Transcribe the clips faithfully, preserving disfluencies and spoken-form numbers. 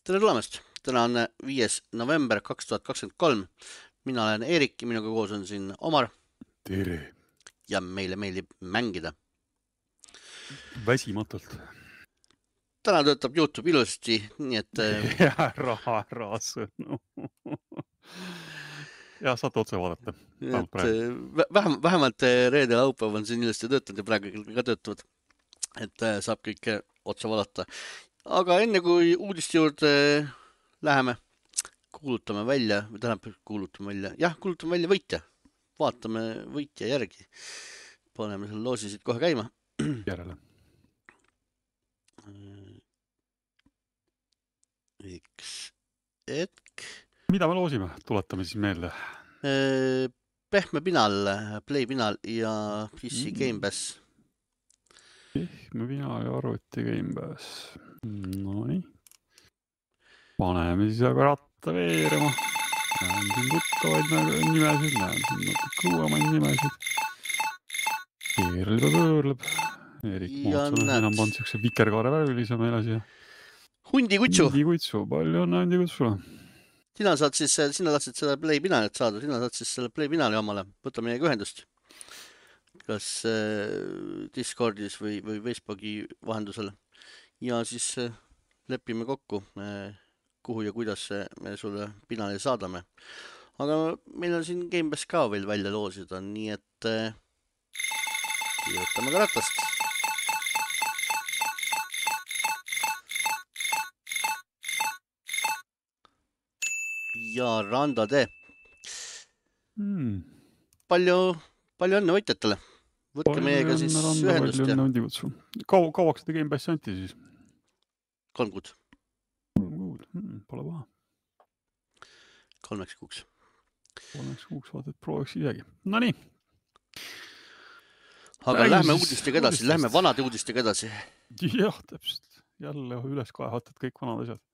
Tere tulemast! Täna on viies november kaks tuhat kakskümmend kolm. Mina olen Eerik ja minuga koos on siin Omar. Tere! Ja meile meeldib mängida. Väsimatult. Täna töötab YouTube ilusti, nii et... Ära, ära sõnu. Ja saate otse vaadata. Et vähem, vähemalt reede ja laupäev on siin ilusti töötanud ja praegu ka töötavad. Et saab kõik otse vaadata. Aga enne kui uudiste juurde läheme, kuulutame välja, või tähendab kuulutame välja, jah, kuulutame välja võitja. Vaatame võitja järgi. Paneme selle loosi siit kohe käima. Järele. Üks hetk. Mida me loosime? Tuletame siis meelde. Pehme Pinal, Play Pinal ja P C Game Pass. Pehme Pinal ja arvuti Game Pass. No nii. Paneme siis aga ratta veerema. Näen siin tuttavaid nimesid, näen siin natuke uuemaid nimesid. Keerleb ja pöörleb. Erik Mootsana enam pand siukse vikerkaare värvilise meile siia. Hundi kutsu. Hundi kutsu, palju on hundi kutsule. Sina saad siis, sina tahtsid seda Play Pinalit saada, sina saad siis selle Play Pinali omale. Võta meiega ühendust. Kas Discordis või, või Facebooki vahendusel. Ja siis lepime kokku, kuhu ja kuidas me sulle Pinali saadame. Aga meil on siin Game Pass ka veel välja loosida, nii et võtame ka ratast. Ja Rando tee. Hmm. Palju, palju õnne võitjatele. Võtke meiega siis Randa, ühendust. Palju õnne kutsu. Kau, kauaks seda Game Passi anti siis? Kolm kuud. Kolm kuud, hmm, pole paha. Kolmeks kuuks. Kolmeks kuuks vaata, et prooviks isegi. No nii. Aga Räägis lähme uudistega edasi, uudistest. Lähme vanade uudistega edasi. Jah, täpselt. Jälle üles kaevatad kõik vanad asjad.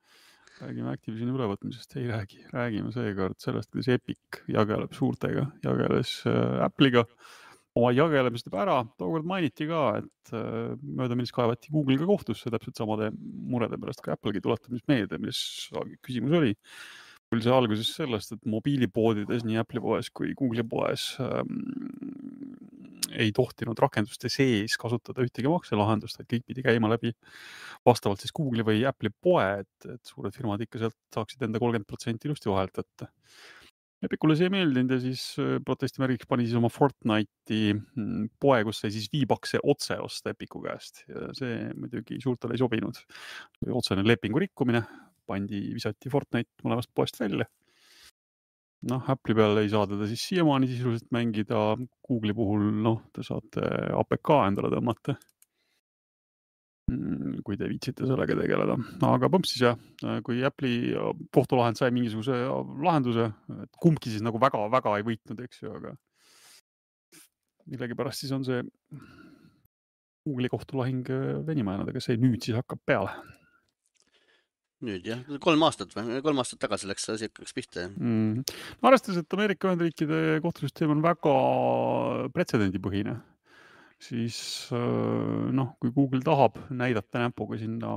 Räägime Activisioni ülevõtmisest, ei räägi. Räägime seekord sellest, kuidas Epic jageleb suurtega, jageles äh, Apple'iga. Oma jagelemised ära, tookord mainiti ka, et äh, mööda millest kaevati Google'iga kohtusse täpselt samade murede pärast, kui Apple'gi tuletamismeede, mis küsimus oli. Küll see alguses sellest, et mobiilipoodides nii Apple'i poes kui Google'i poes ähm, ei tohtinud rakenduste sees kasutada ühtegi makselahendust, et kõik pidi käima läbi vastavalt siis Google'i või Apple'i poe, et, et suured firmad ikka sealt saaksid enda kolmkümmend protsenti ilusti vahelt võtta. Epicule see ei meeldinud ja siis protestimärgiks pani siis oma Fortnite'i poe, kus sai siis viibakse otse osta Epicu käest. Ja see muidugi suurtele ei sobinud. Otsene lepingu rikkumine, pandi, visati Fortnite mõlemast poest välja. Noh, Apple'i peal ei saa teda siis siiamaani sisuliselt mängida. Google'i puhul, noh, te saate A P K endale tõmmata, kui te viitsite sellega tegeleda. Aga põmps siis jah, kui Apple'i kohtulahend sai mingisuguse lahenduse, et kumbki siis nagu väga-väga ei võitnud, eks ju, aga millegi pärast siis on see Google'i kohtulahing venima jäänud, aga see nüüd siis hakkab peale. Nüüd jah, kolm aastat või? Kolm aastat tagasi läks see hakkaks pihta. Mm. Arvestades, et Ameerika Ühendriikide kohtusüsteem on väga pretsedendipõhine, siis noh, kui Google tahab näidata näpuga sinna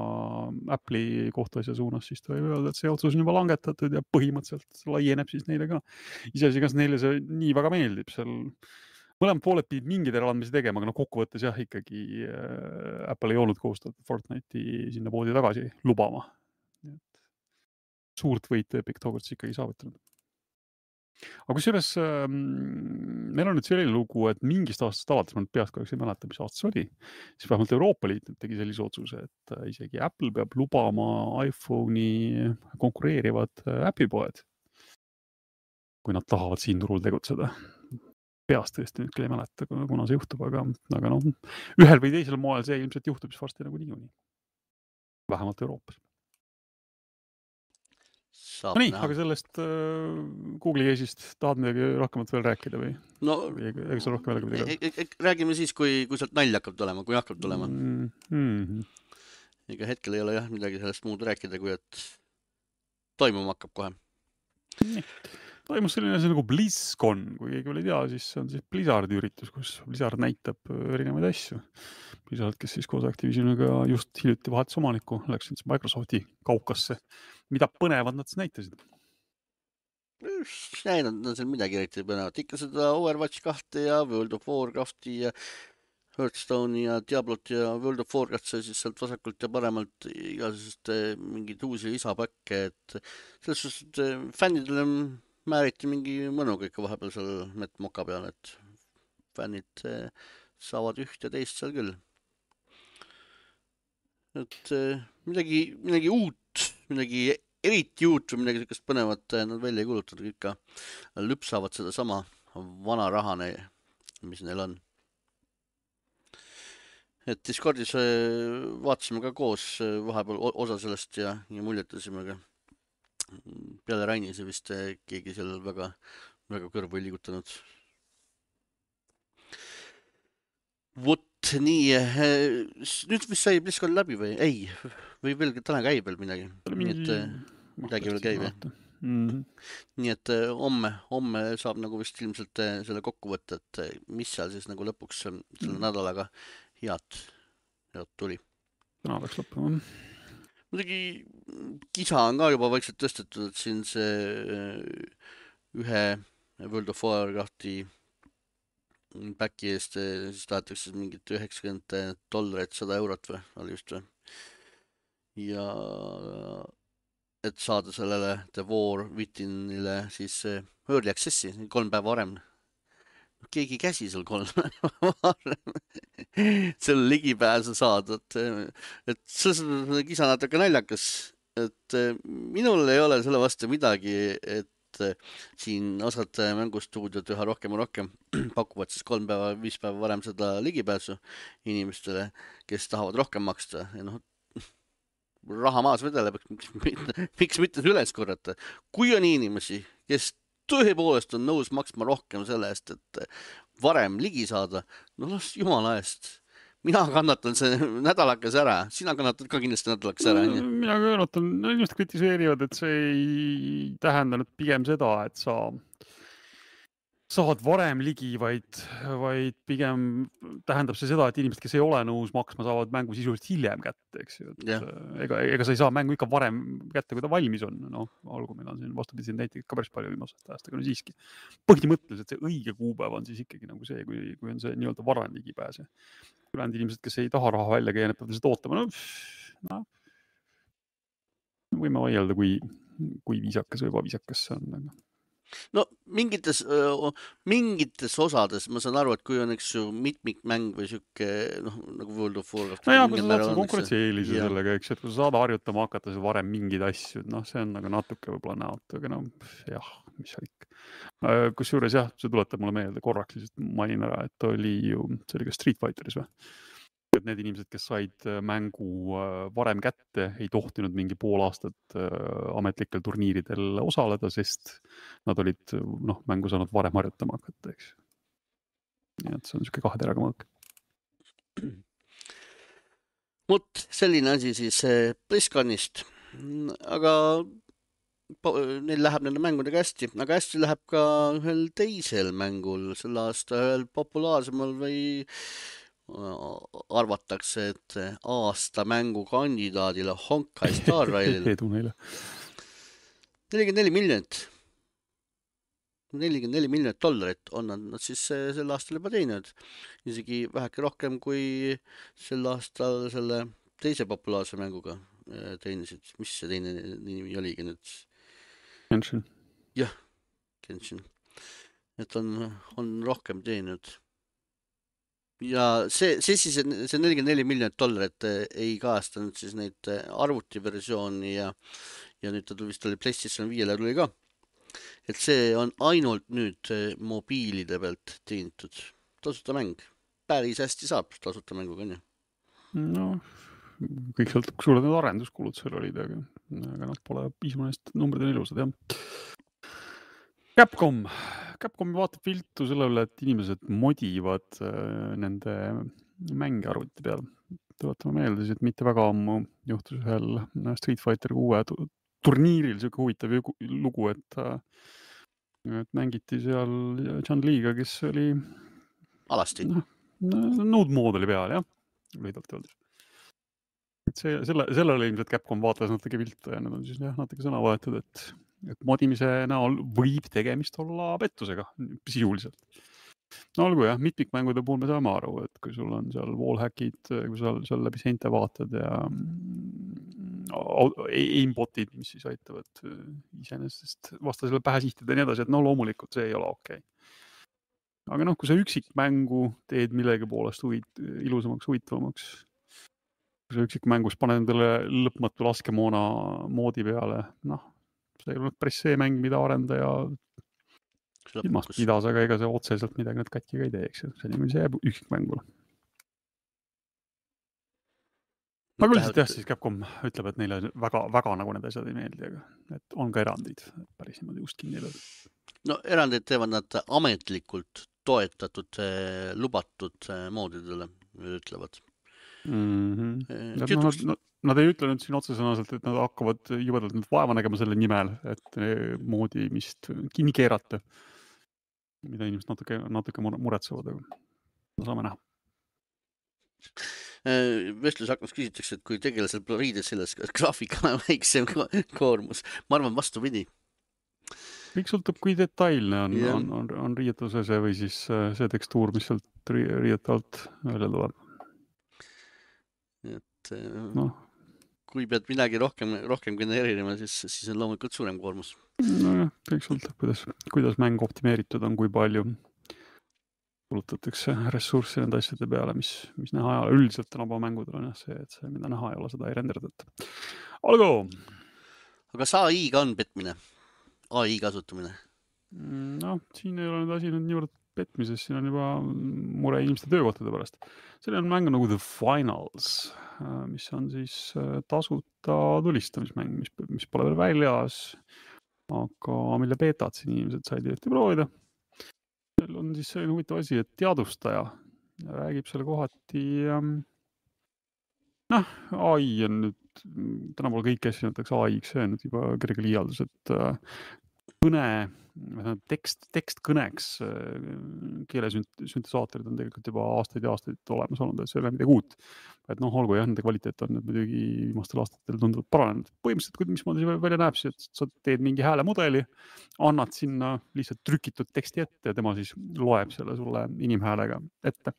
Apple'i kohtuasja suunas, siis ta võib öelda, et see otsus on juba langetatud ja põhimõtteliselt laieneb siis neile ka. Iseasi, kas neile see nii väga meeldib. Seal mõlemad pooled pidid mingid eraandmisi tegema, aga no kokkuvõttes jah, ikkagi Apple ei olnud kohustatud Fortnite'i sinna poodi tagasi lubama. Suurt võitu Epic tookord ikkagi saavutanud. Aga kusjuures meil on nüüd selline lugu, et mingist aastast alates, ma nüüd peast kahjuks ei mäleta, mis aastas oli, siis vähemalt Euroopa Liit tegi sellise otsuse, et isegi Apple peab lubama iPhone'i konkureerivad äpipoed, kui nad tahavad siin turul tegutseda. Peast tõesti nüüd küll ei mäleta, kuna see juhtub, aga, aga noh, ühel või teisel moel see ilmselt juhtub siis varsti nagu niikuinii. Vähemalt Euroopas. No nii, näha. Aga sellest äh, Google'i case'ist tahad midagi rohkemat veel rääkida või? No, või ega sa rohkem veel midagi e e räägime siis, kui, kui sealt nalja hakkab tulema, kui hakkab tulema. Mm -hmm. Ega hetkel ei ole jah midagi sellest muud rääkida, kui et toimuma hakkab kohe. Nii. Toimus selline asi nagu BlizzCon, kui keegi veel ei tea, siis see on siis Blizzardi üritus, kus Blizzard näitab erinevaid asju. Blizzard, kes siis koos Activisioniga just hiljuti vahetas omaniku, läks siis Microsofti kaukasse mida põnevad nad siis näitasid? Näinud on seal midagi eriti põnevat. Ikka seda Overwatch kahte ja World of Warcrafti ja Hearthstone'i ja Diablot ja World of Warcraft sai siis sealt vasakult ja paremalt igasugust mingeid uusi lisapakke, et selles suhtes, et fännidele määriti mingi mõnuga ikka vahepeal seal Met Moka peal, et fännid saavad üht ja teist seal küll. Et midagi, midagi uut, midagi eriti uut või midagi sellist põnevat nad välja ei kulutanud, ikka lüpsavad seda sama vana rahane, mis neil on. Et Discordis vaatasime ka koos vahepeal osa sellest ja, ja muljetasime ka. Peale Raini see vist keegi seal väga, väga kõrvu ei liigutanud. Vot nii, nüüd vist sai BlizzCon läbi või? Ei, või veel täna käib veel midagi. Nii et midagi veel käib. Mm-hmm. Nii et homme, homme saab nagu vist ilmselt selle kokku võtta, et mis seal siis nagu lõpuks selle mm. nädalaga head, head tuli. Täna läks lõppema. Muidugi kisa on ka juba vaikselt tõstetud, et siin see ühe World of Warcrafti backi eest siis tahetakse mingit üheksakümmend dollarit, sada eurot või, oli just või. Ja et saada sellele The War Withinile siis early access'i kolm päeva varem. Keegi käsi seal kolm varem selle ligipääsu saada, et, et see kisa natuke naljakas, et minul ei ole selle vastu midagi, et siin osad mängustuudiod üha rohkem ja rohkem pakuvad siis kolm päeva, viis päeva varem seda ligipääsu inimestele, kes tahavad rohkem maksta ja noh, raha maas vedeleb, miks, miks mitte üles korrata. Kui on inimesi, kes tõepoolest on nõus maksma rohkem selle eest, et varem ligi saada, no las jumala eest. Mina kannatan see nädalakas ära, sina kannatad ka kindlasti nädalakas ära. No, mina kannatan, no inimesed kritiseerivad, et see ei tähenda nüüd pigem seda, et sa saad varem ligi, vaid, vaid pigem tähendab see seda, et inimesed, kes ei ole nõus maksma, saavad mängu sisuliselt hiljem kätte, eks ju. Yeah. Ega, ega sa ei saa mängu ikka varem kätte, kui ta valmis on. No, olgu, meil on siin vastupidi näiteid ka päris palju viimasest ajast, aga no siiski. Põhimõtteliselt see õige kuupäev on siis ikkagi nagu see, kui, kui on see nii-öelda varem ligipääse. Ülejäänud inimesed, kes ei taha raha välja käia, need peavad seda ootama. No, no, võime vaielda, kui, kui viisakas või ebaviisakas see on. Aga... No mingites, mingites osades ma saan aru, et kui on üks mitmikmäng või siuke, noh, nagu World of Warcraft. No jaa, kui sa saad selle konkurentsi-eelise ja. Sellega, eks, et kui sa saad harjutama hakata see varem mingid asju, noh, see on nagu natuke võib-olla näot, aga no jah, mis seal ikka. Kus juures jah, see tuletab mulle meelde korraks, lihtsalt mainin ära, et oli ju, see oli ka Street Fighteris või? Et need inimesed, kes said mängu varem kätte, ei tohtinud mingi pool aastat ametlikel turniiridel osaleda, sest nad olid noh, mängu saanud varem harjutama hakata, eks. Nii et see on niisugune kahe teraga mõõk. Mut selline asi siis BlizzConist. Aga neil läheb nende mängudega hästi, aga hästi läheb ka ühel teisel mängul sel aasta, ühel populaarsemal või arvatakse, et aasta mängu kandidaadile Honkai Star Railile edu neile. nelikümmend neli miljonit. nelikümmend neli miljonit dollarit on nad, nad siis sel aastal juba teinud. Isegi väheke rohkem kui sel aastal selle teise populaarse mänguga teenisid. Mis see teine nimi oligi nüüd? Genshin. Jah, Genshin. Et on, on rohkem teeninud. Ja see, see siis, see nelikümmend neli miljonit dollarit ei kaastanud siis neid arvutiversiooni ja, ja nüüd ta vist oli PlayStation viiele tuli ka. Et see on ainult nüüd mobiilide pealt teenitud. Tasuta mäng. Päris hästi saab tasuta mänguga, on ju? No, kõik sõltub, kui suured need arenduskulud seal olid, aga, aga nad pole piisavalt numbrid on ilusad, jah. Capcom. Capcom vaatab viltu selle üle, et inimesed modivad nende mänge arvuti peal. Tuletame meelde, et mitte väga ammu juhtus ühel Street Fighter kuue turniiril siuke huvitav lugu, et, et mängiti seal John Lee'ga, kes oli alasti. Nõud mood oli peal, jah. Lühidalt öeldes. et see, selle, sellele ilmselt Capcom vaatas natuke viltu ja nad on siis jah, natuke sõna vahetud, et, et modimise näol võib tegemist olla pettusega sisuliselt. No olgu jah, mitmikmängude puhul me saame aru, et kui sul on seal wallhackid, kui seal, seal läbi seinte vaatad ja aimbotid, mis siis aitavad iseenesest vastasele pähe sihtida ja nii edasi, et no loomulikult see ei ole okei. Aga noh, kui sa üksikmängu teed millegi poolest huvit, ilusamaks, huvitavamaks, kui sa üksikmängus paned endale lõpmatu laskemoona moodi peale, noh, see ei ole päris see mäng, mida arendaja ilmast pidas, aga ega see otseselt midagi nüüd katki ka ei teeks. See niimoodi see jääb üksikmängule. Aga üldiselt jah, siis Capcom ütleb, et neile väga, väga nagu need asjad ei meeldi, aga et on ka erandid, päris niimoodi just kinni lööd. No erandid teevad nad ametlikult toetatud, lubatud moodidele, ütlevad. Mm-hmm. Ja, no, nad, nad ei ütlenud siin otsesõnaselt, et nad hakkavad jubedalt nüüd vaeva nägema selle nimel, et moodi mist kinni keerata, mida inimesed natuke, natuke muretsevad, aga saame näha. Vestlus hakkas küsitakse, et kui tegelasel riides selles graafikana väiksem koormus, ma arvan vastu pidi. Kõik sõltub, kui detailne on, yeah. on, on, on riietuse see või siis see tekstuur, mis sealt riiete alt välja tuleb. Et no. Kui pead midagi rohkem, rohkem genereerima, siis, siis on loomulikult suurem koormus. No jah, kõik sõltub, kuidas, kuidas mäng optimeeritud on, kui palju kulutatakse ressurssi nende asjade peale, mis, mis näha ei ole. Üldiselt tänapäeva mängudel on jah see, et see, mida näha ei ole, seda ei renderdata. Olgu! Aga see A I-ga on petmine? A I kasutamine? No, siin ei ole nüüd asi nüüd niivõrd petmises, siin on juba mure inimeste töökohtade pärast. Selle on mäng nagu The Finals, mis on siis tasuta tulistamismäng, mis, mis pole veel väljas, aga mille beetad siin inimesed said jõuti proovida. Seal on siis selline huvitav asi, et teadustaja räägib selle kohati, noh, A I on nüüd, tänapäeval kõik asju näiteks A I-ks, see on nüüd juba kerge liialdus, et kõne, tekst, tekst kõneks keelesüntesaatorid on tegelikult juba aastaid ja aastaid olemas olnud, et see ei ole midagi uut. Et noh, olgu jah, nende kvaliteet on nüüd muidugi viimastel aastatel tunduvalt paranenud. Põhimõtteliselt, kui mismoodi see välja näeb, siis, et sa teed mingi häälemudeli, annad sinna lihtsalt trükitud teksti ette ja tema siis loeb selle sulle inimhäälega ette.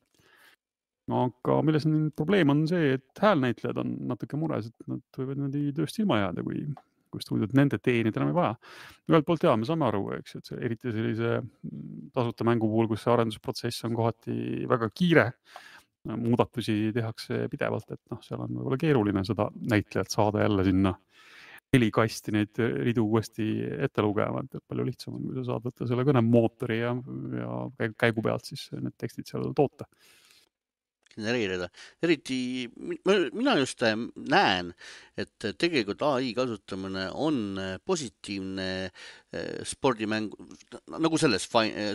Aga milles on probleem on see, et häälnäitlejad on natuke mures, et nad võivad nende tööst ilma jääda, kui kui stuudiod nende teenid enam ei vaja. Ühelt poolt jaa, me saame aru, eks, et see, eriti sellise tasuta mängu puhul, kus see arendusprotsess on kohati väga kiire, muudatusi tehakse pidevalt, et noh, seal on võib-olla keeruline seda näitlejat saada jälle sinna helikasti neid ridu uuesti ette lugema, et palju lihtsam on, kui sa saad võtta selle kõnemootori ja, ja käigu pealt siis need tekstid seal toota. Genereerida. Eriti, mina just näen, et tegelikult A I kasutamine on positiivne spordimäng, nagu selles,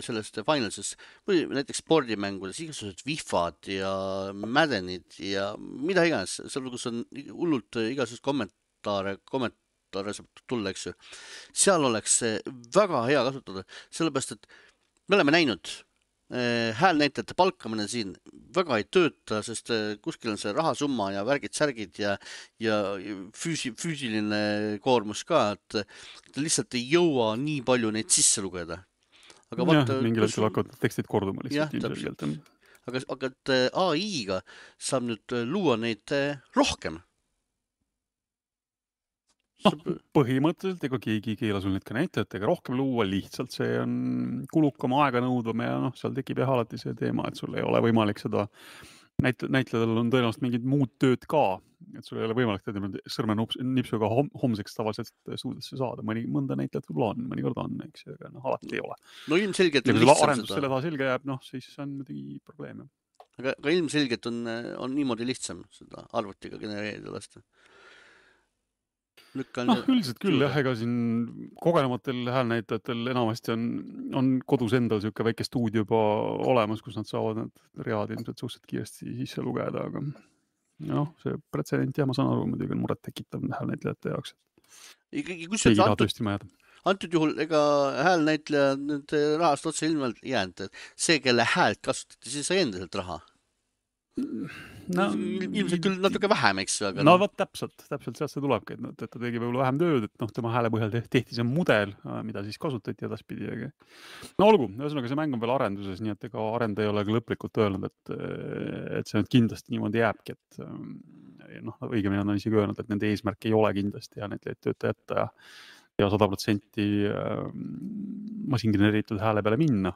sellest Finalses, või näiteks spordimängudes, igasugused vihvad ja mädenid ja mida iganes, seal kus on hullult igasugused kommentaare, kommentaare saab tulla, eks ju. Seal oleks väga hea kasutada, sellepärast, et me oleme näinud häälnäitajate palkamine siin väga ei tööta, sest kuskil on see rahasumma ja värgid-särgid ja, ja füüsi, füüsiline koormus ka, et lihtsalt ei jõua nii palju neid sisse lugeda. Aga vaata, jah, mingil hetkel hakkavad tekstid korduma lihtsalt. Jah, aga, aga et A I-ga saab nüüd luua neid rohkem. No, põhimõtteliselt ega keegi ei keela sul neid ka näitajatega rohkem luua, lihtsalt see on kulukam aega nõudvam ja noh, seal tekib jah alati see teema, et sul ei ole võimalik seda, näit- näitlejadel on tõenäoliselt mingid muud tööd ka, et sul ei ole võimalik teda sõrme nipsuga hom homseks tavaliselt stuudiosse saada, mõni mõnda näitlejat võib-olla on, mõnikord on, eks, aga noh, alati ei ole. No ilmselgelt on lihtsam arendus seda. Selle taha selge jääb, noh, siis on muidugi probleem. Aga, aga ilmselgelt on, on niimoodi lihtsam seda arvutiga genereerida lasta. noh, üldiselt küll jah, ega siin kogenematel häälnäitajatel enamasti on, on kodus endal siuke väike stuudio juba olemas, kus nad saavad need read ilmselt suhteliselt kiiresti sisse lugeda, aga noh, see pretsedent ja ma saan aru, muidugi on muret tekitav häälnäitlejate jaoks. Ikkagi, kus see antud, antud juhul ega häälnäitleja nüüd rahast otse ilmselt jäänud, see, kelle häält kasutati, siis sai endiselt raha. no, ilmselt küll natuke vähem, eks ju, aga no vot täpselt, täpselt sealt see tulebki, et, et ta tegi võib-olla vähem tööd, et noh, tema hääle põhjal tehti see mudel, mida siis kasutati edaspidi. Aga... no olgu, ühesõnaga see mäng on veel arenduses, nii et ega arendaja ei ole ka lõplikult öelnud, et, et see nüüd kindlasti niimoodi jääbki, et noh, õigemini on isegi öelnud, et nende eesmärk ei ole kindlasti ja need tööta jätta ja, ja sada protsenti masingeneeritud hääle peale minna.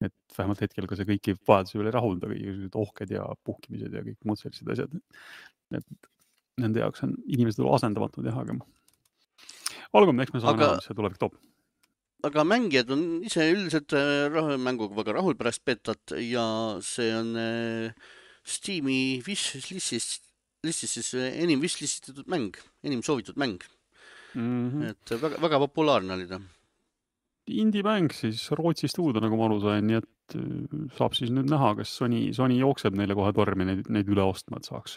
Et vähemalt hetkel ka see kõiki vajaduse veel ei rahulda, kõigised ohked ja puhkimised ja kõik muud sellised asjad. Et nende jaoks on inimesed asendamatud jah, aga olgu, eks me saame aga, näha, mis see tulevik toob. Aga mängijad on ise üldiselt mänguga väga rahul pärast betat ja see on Steam'i wishlist'is listis siis enim wishlistitud mäng, enim soovitud mäng. Mm-hmm. Et väga, väga populaarne oli ta. Indie-mäng siis Rootsi stuudio, nagu ma aru sain, nii et saab siis nüüd näha, kas Sony, Sony jookseb neile kohe tormi neid, neid üle ostma, et saaks,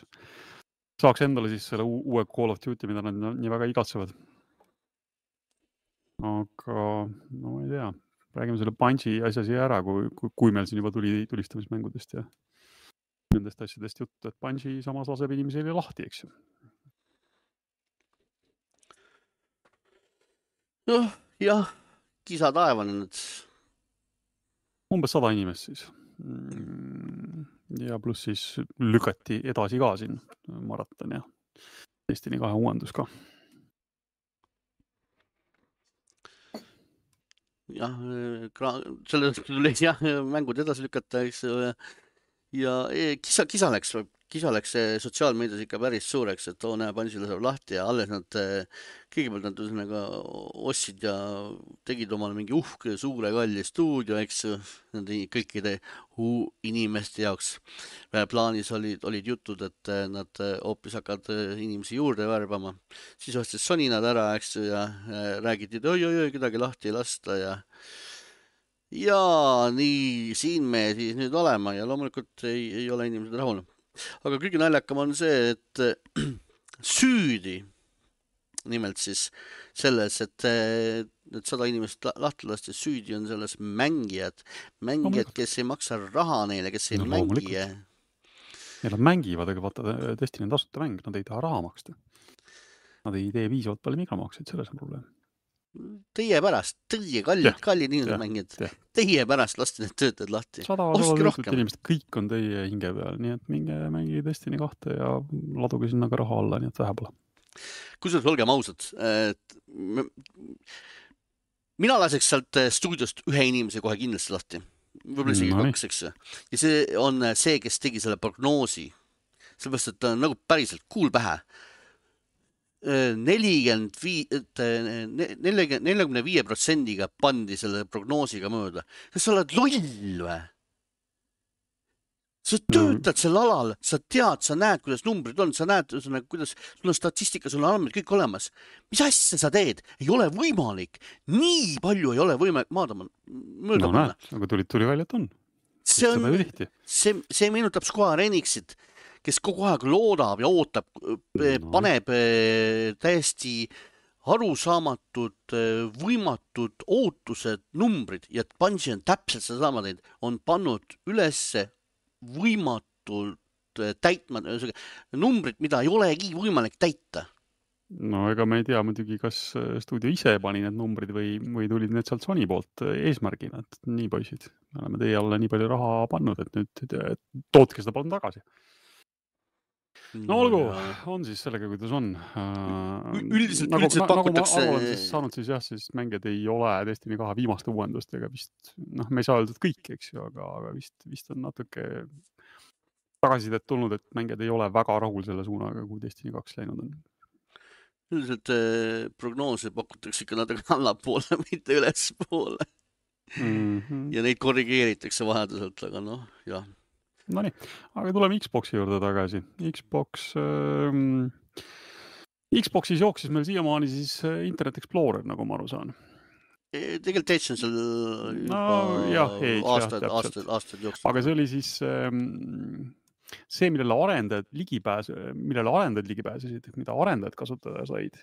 saaks endale siis selle uue Call of Duty, mida nad nii väga igatsevad. Aga no ma ei tea, räägime selle Bungie asja siia ära, kui, kui, kui meil siin juba tuli tulistamismängudest ja nendest asjadest juttu, et Bungie samas laseb inimesele lahti, eks ju. noh, jah. Kisa taevanenud. Umbes sada inimest siis. Ja pluss siis lükati edasi ka siin maraton ja Destiny kahe uuendus ka. Jah, sellest tuli jah, mängud edasi lükata, eks ja kisa, kisa läks, kisa läks sotsiaalmeedias ikka päris suureks, et too näe Bungiele saab lahti ja alles nad, kõigepealt nad üsnaga ostsid ja tegid omale mingi uhke, suure kalli stuudio, eks nende kõikide inimeste jaoks. Plaanis olid, olid jutud, et nad hoopis hakkavad inimesi juurde värbama. Siis ostis Sony nad ära, eks ja räägiti, et oi, oi, oi, kedagi lahti ei lasta ja ja nii siin me siis nüüd olema ja loomulikult ei, ei ole inimesed rahul. Aga kõige naljakam on see, et süüdi, nimelt siis selles, et need sada inimest lahti lasti, süüdi on selles mängijad, mängijad, kes ei maksa raha neile, kes ei no, mängi. Ja nad mängivad, aga vaata, Destiny on tasuta mäng, nad ei taha raha maksta. Nad ei tee viisavalt palju migramakseid, selles on probleem. Teie pärast, teie kallid, kallid inimesed mängijad, teie pärast lasti need töötajad lahti. sada sada inimesed, kõik on teie hinge peal, nii et minge mängi Destiny kahte ja laduge sinna ka raha alla, nii et vähe pole. Kusjuures olgem ausad, et mina laseks sealt stuudiost ühe inimese kohe kindlasti lahti. Võib-olla isegi no, kaks, eks. Ja see on see, kes tegi selle prognoosi. Sellepärast, et ta on nagu päriselt kuul pähe. nelikümmend viis protsendiga pandi selle prognoosiga mööda. Kas sa oled loll või? Sa töötad sel alal, sa tead, sa näed, kuidas numbrid on, sa näed, kuidas sul on statistika, sul on andmed kõik olemas. Mis asja sa teed? Ei ole võimalik. Nii palju ei ole võimalik maadama mööda no, panna. No aga tuli, tuli välja, et on. See, on see, see meenutab Square Enixit, kes kogu aeg loodab ja ootab, paneb täiesti arusaamatud, võimatud ootused, numbrid ja Bungie on täpselt seda sama teinud, on pannud ülesse võimatult täitma numbrid, mida ei olegi võimalik täita. No ega me ei tea muidugi, kas stuudio ise pani need numbrid või, või tulid need sealt Sony poolt eesmärgina, et nii poisid, me oleme teie alla nii palju raha pannud, et nüüd tootke seda palun tagasi. No olgu, on siis sellega, kuidas on. Üldiselt, nagu, üldiselt nagu pakutakse... Nagu ma olen siis saanud siis jah, siis mängijad ei ole Destiny kahe viimaste uuendustega vist, noh, me ei saa öeldud kõik, eks ju, aga, aga vist, vist on natuke tagasisidet tulnud, et mängijad ei ole väga rahul selle suunaga, kui Destiny kaks läinud on. Üldiselt eh, prognoose pakutakse ikka natuke allapoole, mitte ülespoole. Mm-hmm. Ja neid korrigeeritakse vahetuselt, aga noh, jah. No nii, aga tuleme Xboxi juurde tagasi. Xbox, ähm, Xboxis jooksis meil siiamaani siis Internet Explorer, nagu ma aru saan. Tegelikult Edge on seal no, jah, Edge, aastad, jah, aastad, aastad jooksid. Aga see oli siis ähm, see, millele arendajad ligipääs, millele arendajad ligipääsesid, mida arendajad kasutada said.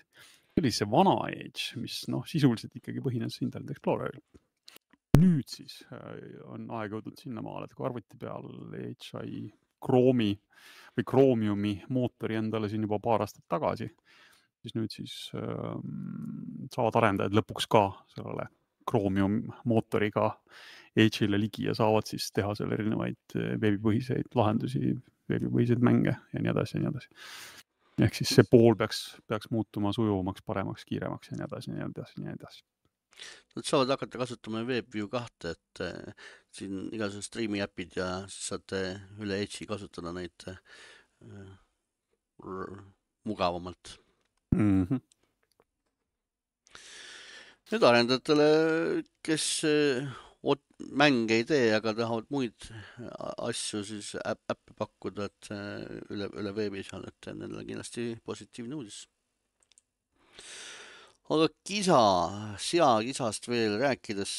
See oli see vana Edge, mis noh, sisuliselt ikkagi põhines Internet Exploreril. Nüüd siis on aeg jõudnud sinna maale, et kui arvuti peal H I Chrome'i või Chromiumi mootori endale siin juba paar aastat tagasi, siis nüüd siis äh, saavad arendajad lõpuks ka sellele Chromium mootoriga Edge'ile ligi ja saavad siis teha seal erinevaid veebipõhiseid lahendusi, veebipõhiseid mänge ja nii edasi ja nii edasi. Ehk siis see pool peaks, peaks muutuma sujuvamaks, paremaks, kiiremaks ja nii edasi ja nii edasi ja nii edasi. Nad saavad hakata kasutama WebView kahte, et äh, siin igasugused streami äpid ja siis saate üle Edge'i kasutada neid äh, mugavamalt. Mm-hmm. Nüüd arendajatele, kes äh, mänge ei tee, aga tahavad muid asju siis äppi pakkuda, et äh, üle, üle veebi seal, et nendele kindlasti positiivne uudis. Aga kisa, sea kisast veel rääkides.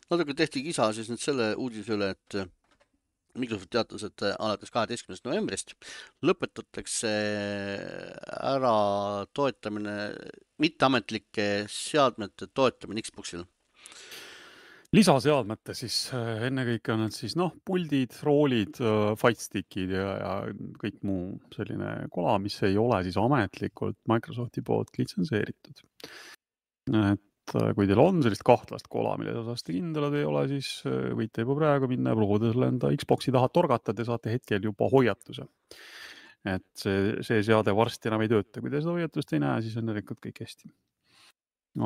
Natuke tehti kisa siis nüüd selle uudise üle, et Microsoft teatas, et alates kaheteistkümnendast novembrist lõpetatakse ära toetamine, mitteametlike seadmete toetamine Xboxil. Lisaseadmete siis ennekõike on need siis noh, puldid, roolid, fightstickid ja, ja kõik muu selline kola, mis ei ole siis ametlikult Microsofti poolt litsenseeritud. Et kui teil on sellist kahtlast kola, mille osas te kindlad ei ole, siis võite juba praegu minna ja proovida selle enda Xboxi taha torgata, te saate hetkel juba hoiatuse. Et see, see seade varsti enam ei tööta. Kui te seda hoiatust ei näe, siis on järelikult kõik hästi.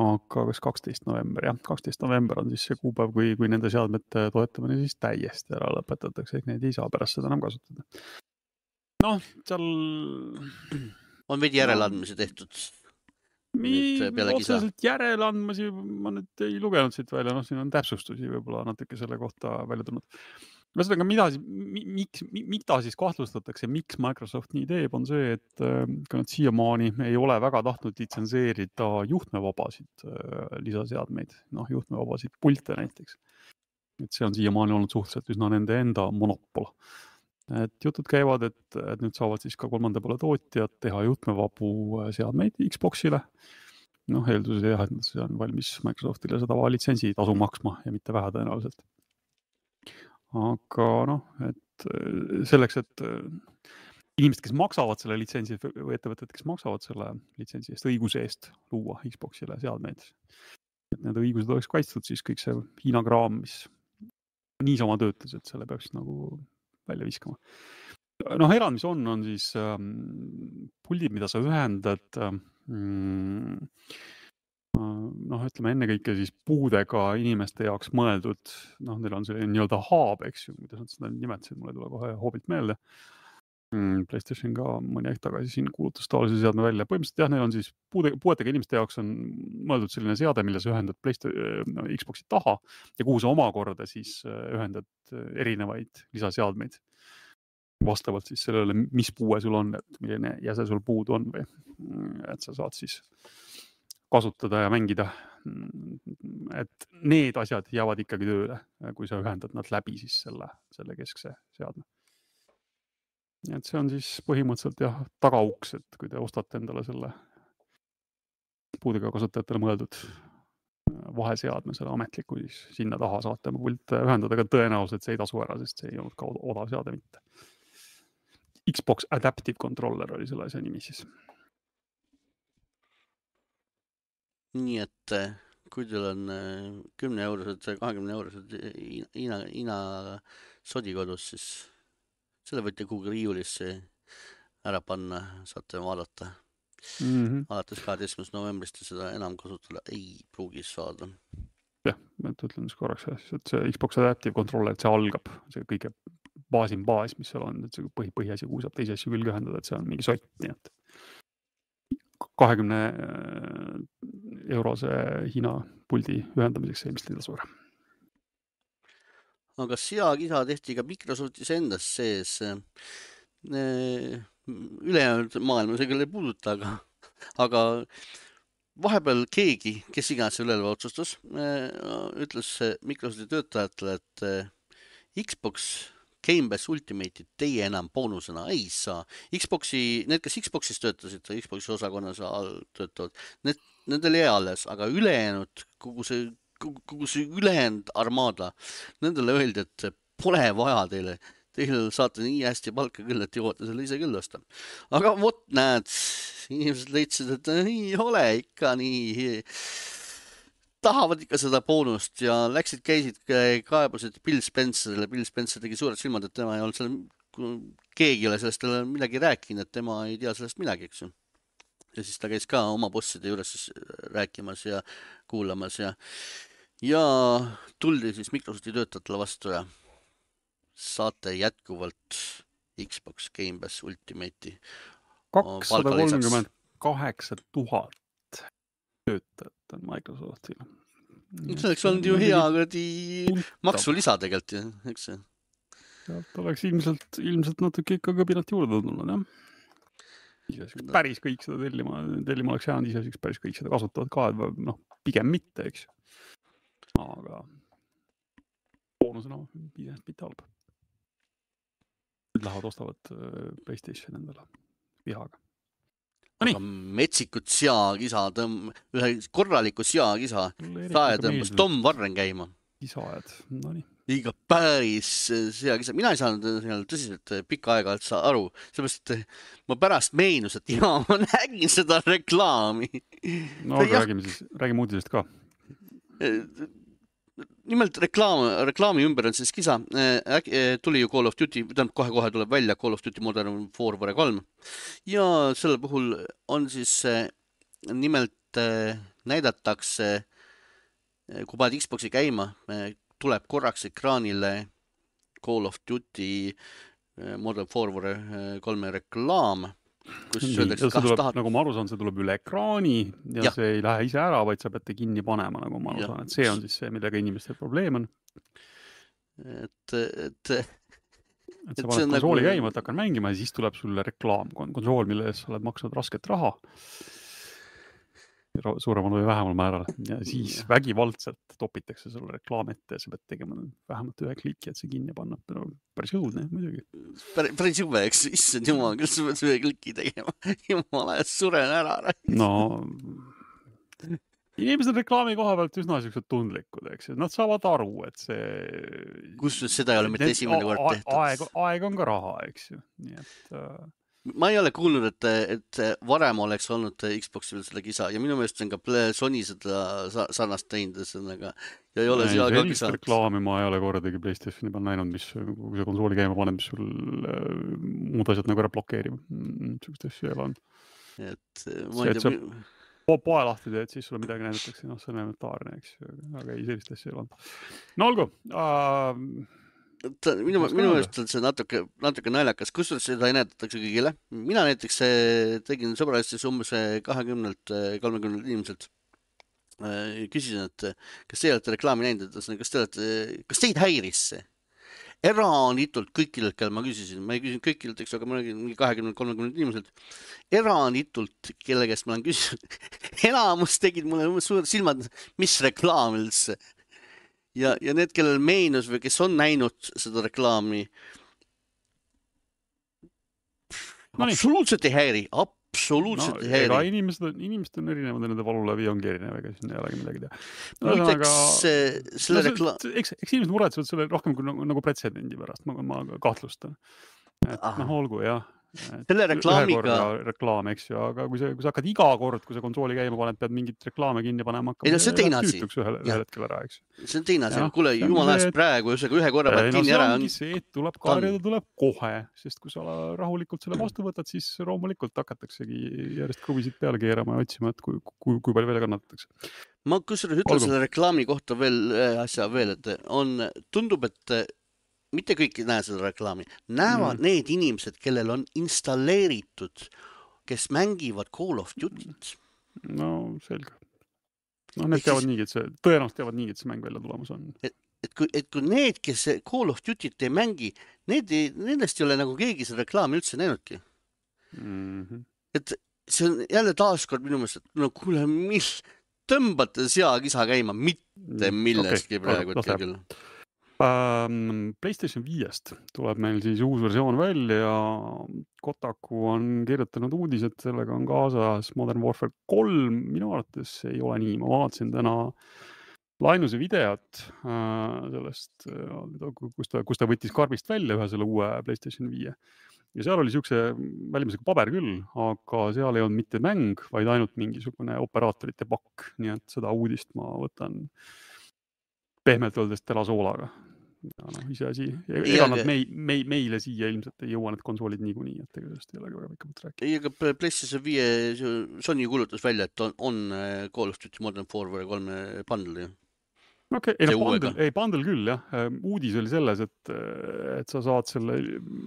Aga kas kaksteist november, jah, kaksteist november on siis see kuupäev, kui, kui nende seadmete toetamine siis täiesti ära lõpetatakse, ehk neid ei saa pärast seda enam kasutada. Noh, seal... On veidi järeleandmisi tehtud? Otseselt järeleandmisi ma nüüd ei lugenud siit välja, noh, siin on täpsustusi võib-olla natuke selle kohta välja tulnud. Ühesõnaga, mida, miks, mida siis kahtlustatakse, miks Microsoft nii teeb, on see, et kui nad siiamaani ei ole väga tahtnud litsenseerida juhtmevabasid lisaseadmeid, noh, juhtmevabasid pulte näiteks. Et see on siiamaani olnud suhteliselt üsna nende enda monopol. Et jutud käivad, et, et nüüd saavad siis ka kolmanda poole tootjad teha juhtmevabu seadmeid Xboxile. Noh, eelduses jah, et see on valmis Microsoftile seda litsentsi tasu maksma ja mitte vähe tõenäoliselt. Aga noh, et selleks, et inimesed, kes maksavad selle litsentsi või ettevõtted, kes maksavad selle litsentsi eest õiguse eest luua Xboxile seadmeid, et need õigused oleks kaitstud, siis kõik see Hiina kraam, mis niisama töötas, et selle peaks nagu välja viskama. Noh, erand, mis on, on siis ähm, puldid, mida sa ühendad ähm, noh, ütleme ennekõike siis puudega inimeste jaoks mõeldud, noh, neil on selline nii-öelda haab, eks ju, kuidas nad seda nimetasid, mulle tule kohe hoobilt meelde. PlayStation ka mõni aeg tagasi siin kuulutas taolise seadme välja. Põhimõtteliselt jah, neil on siis puude, puudega inimeste jaoks on mõeldud selline seade, mille sa ühendad PlayStation, no, Xboxi taha ja kuhu sa omakorda siis ühendad erinevaid lisaseadmeid vastavalt siis sellele, mis puue sul on, et milline jäse sul puudu on või et sa saad siis kasutada ja mängida, et need asjad jäävad ikkagi tööle, kui sa ühendad nad läbi siis selle, selle keskse seadme. Et see on siis põhimõtteliselt jah, tagauks, et kui te ostate endale selle puudega kasutajatele mõeldud vaheseadme, selle ametliku, siis sinna taha saate pult ühendada, aga tõenäoliselt see ei tasu ära, sest see ei olnud ka odav seade mitte. Xbox Adaptive Controller oli selle asja nimi siis. Nii et kui teil on kümne eurosed, kahekümne eurosed Hiina, Hiina sodi kodus, siis selle võite kuhugi riiulisse ära panna, saate vaadata. Mm-hmm. Alates kaheteistkümnendast novembrist seda enam kasutada ei pruugis saada. Jah, et ütlen siis korraks, et see Xbox Adaptive Controller, et see algab, see kõige baasim baas, mis seal on, et see põhi, põhiasi, kuhu saab teisi asju külge ühendada, et see on mingi sott, nii et kahekümne eurose Hiina puldi ühendamiseks see ilmselt ei tasu ära. Aga sea kisa tehti ka Microsoftis endas sees. Ülejäänud maailma see küll ei puuduta, aga, aga vahepeal keegi, kes iganes üleval otsustas, ütles Microsofti töötajatele, et Xbox Game Pass Ultimate'id teie enam boonusena ei saa. Xboxi, need, kes Xboxis töötasid, Xboxi osakonnas töötavad, need, nendel jäi alles, aga ülejäänud, kogu see, kogu see ülejäänud armada, nendele öeldi, et pole vaja teile. Teil saate nii hästi palka küll, et jõuate selle ise küll osta. Aga vot näed, inimesed leidsid, et ei ole ikka nii, tahavad ikka seda boonust ja läksid, käisid, kaebusid Bill Spencerile. Bill Spencer tegi suured silmad, et tema ei olnud seal, keegi ei ole sellest midagi rääkinud, et tema ei tea sellest midagi, eks ju. Ja siis ta käis ka oma bosside juures siis rääkimas ja kuulamas ja, ja tuldi siis Microsofti töötajatele vastu ja saate jätkuvalt Xbox Game Pass Ultimate'i kakssada kolmkümmend kaheksa tuhat töötajat on Microsoftil. Selleks on ju hea kuradi maksulisa tegelikult, eks see? Sealt oleks ilmselt, ilmselt natuke ikka kõbinat juurde tulnud, jah. Iseseks päris kõik seda tellima, tellima oleks jäänud, iseseks päris kõik seda kasutavad ka, et noh, pigem mitte, eks. Aga boonusena iseseks mitte halb. Lähevad ostavad PlayStation endale vihaga. Aga metsikut seakisa, tõmb, ühe korraliku seakisa, sae tõmbas Tom Warren käima. Kisajad, no nii. Iga päris seakisa. Mina ei saanud tõsiselt pikka aega aru, sellepärast, et ma pärast meenus, et jaa, ma nägin seda reklaami. No aga räägime siis, räägime uudisest ka. Nimelt reklaam, reklaami ümber on siis kisa. Tuli ju Call of Duty, kohe-kohe tuleb välja Call of Duty Modern Warfare kolm. Ja selle puhul on siis nimelt näidatakse, kui paned Xboxi käima, tuleb korraks ekraanile Call of Duty Modern Warfare kolme reklaam. Kus öeldakse, see tuleb, tahad... nagu ma aru saan, see tuleb üle ekraani ja, ja see ei lähe ise ära, vaid sa peate kinni panema, nagu ma aru ja. saan, et see on siis see, millega inimestel probleem on. Et, et, et sa paned konsooli nagu... käima, et hakkan mängima ja siis tuleb sulle reklaam, konsool, mille eest sa oled maksnud rasket raha suuremal või vähemal määral ja siis ja. vägivaldselt topitakse sulle reklaam ette ja sa pead tegema vähemalt ühe kliki, et see kinni panna. No, päris õudne, muidugi. Päris jube, eks issand jumal, küll sa pead ühe kliki tegema. Jumala, suren ära. No, inimesed reklaami koha pealt üsna sellised tundlikud, eks. Nad saavad aru, et see... Kus seda ei ole mitte esimene kord tehtud? Aeg, aeg on ka raha, eks ju. Nii et... Ma ei ole kuulnud, et, et varem oleks olnud Xboxil selle kisa ja minu meelest on ka Sony seda sarnast teinud, aga ja ei ole siia ka kisa. Reklaami ma ei ole kordagi PlayStationi peal näinud, mis kui see konsooli käima paneb, mis sul muud asjad nagu ära blokeerib. Sugust asju ei ole olnud. Et ma ei tea... Po poe lahti teed, siis sulle midagi näidatakse, noh, see on elementaarne, eks. Aga ei, sellist asju ei ole olnud. No olgu, uh... Ta, minu, minu meelest on see natuke, natuke naljakas, kus seda ei näetatakse kõigile. Mina näiteks tegin sõbralistis umbes kahekümnelt kolmekümnelt inimeselt. Küsisin, et kas te olete reklaami näinud, kas te olete, kas teid häiris see? Eranitult kõikidelt, kelle ma küsisin, ma ei küsinud kõikidelt, eks, aga ma olin kahekümnelt kolmekümnelt inimeselt. Eranitult, kelle käest ma olen küsinud, enamus tegid mulle suured silmad, mis reklaam üldse. Ja, ja need, kellel meenus või kes on näinud seda reklaami, no absoluutselt ei häiri, absoluutselt no, ei häiri. Ega inimesed on, inimesed on erinevad ja nende valulävi ongi erinev, ega siin ei olegi midagi teha. No, no, aga... selle no, rekla... eks, eks inimesed muretsevad selle rohkem kui nagu, nagu pretsedendi pärast, ma, ma kahtlustan. Et ah. noh, olgu, jah. Selle reklaamiga reklaam, eks ju, aga kui sa, kui sa hakkad iga kord, kui sa konsooli käima paned, pead mingit reklaame kinni panema hakkama. Ei no see on teine asi. Ühel, ühel hetkel ära, eks. See on teine asi. Kuule, jumal ajast praegu, ühe korra pead kinni no, ära. See ongi see, et tuleb karjada, tuleb kohe, sest kui sa rahulikult selle vastu võtad, siis loomulikult hakataksegi järjest kruvisid peale keerama ja otsima, et kui, kui, kui palju veel kannatatakse. Ma kusjuures ütlen Olgu. Selle reklaami kohta veel asja veel, et on, tundub, et mitte kõik ei näe seda reklaami. Näevad mm. need inimesed, kellel on installeeritud, kes mängivad Call of Duty't. No, selge. No, need teavad nii, et see, tõenäoliselt teavad nii, et see mäng välja tulemas on. Et, et, kui, et kui need, kes Call of Duty't ei mängi, need ei, nendest ei ole nagu keegi seda reklaami üldse näinudki. Mm-hmm. Et see on jälle taaskord minu meelest, et no kuule, mis tõmbate seakisa käima, mitte millestki okay. praegu hetkel küll. Um, PlayStation viiest tuleb meil siis uus versioon välja ja Kotaku on kirjutanud uudis, et sellega on kaasas Modern Warfare kolm. Minu arvates ei ole nii. Ma vaatasin täna lainuse videot sellest, kus ta, kus ta võttis karbist välja ühe selle uue PlayStation viie. Ja seal oli siukse välimusega paber küll, aga seal ei olnud mitte mäng, vaid ainult mingisugune operaatorite pakk. Nii et seda uudist ma võtan pehmelt öeldes telasoolaga. Ja no, ise asi. Ega nad mei, mei, meile siia ilmselt ei jõua need konsoolid niikuinii, et ega sellest ei ole väga pikemalt rääkida. Ei, aga PlayStation viie Sony kuulutas välja, et on, on Call of Duty Modern Warfare kolme bundle. Okei, okay. ei, no, bundle, ei bundle küll, jah. Uudis oli selles, et, et sa saad selle,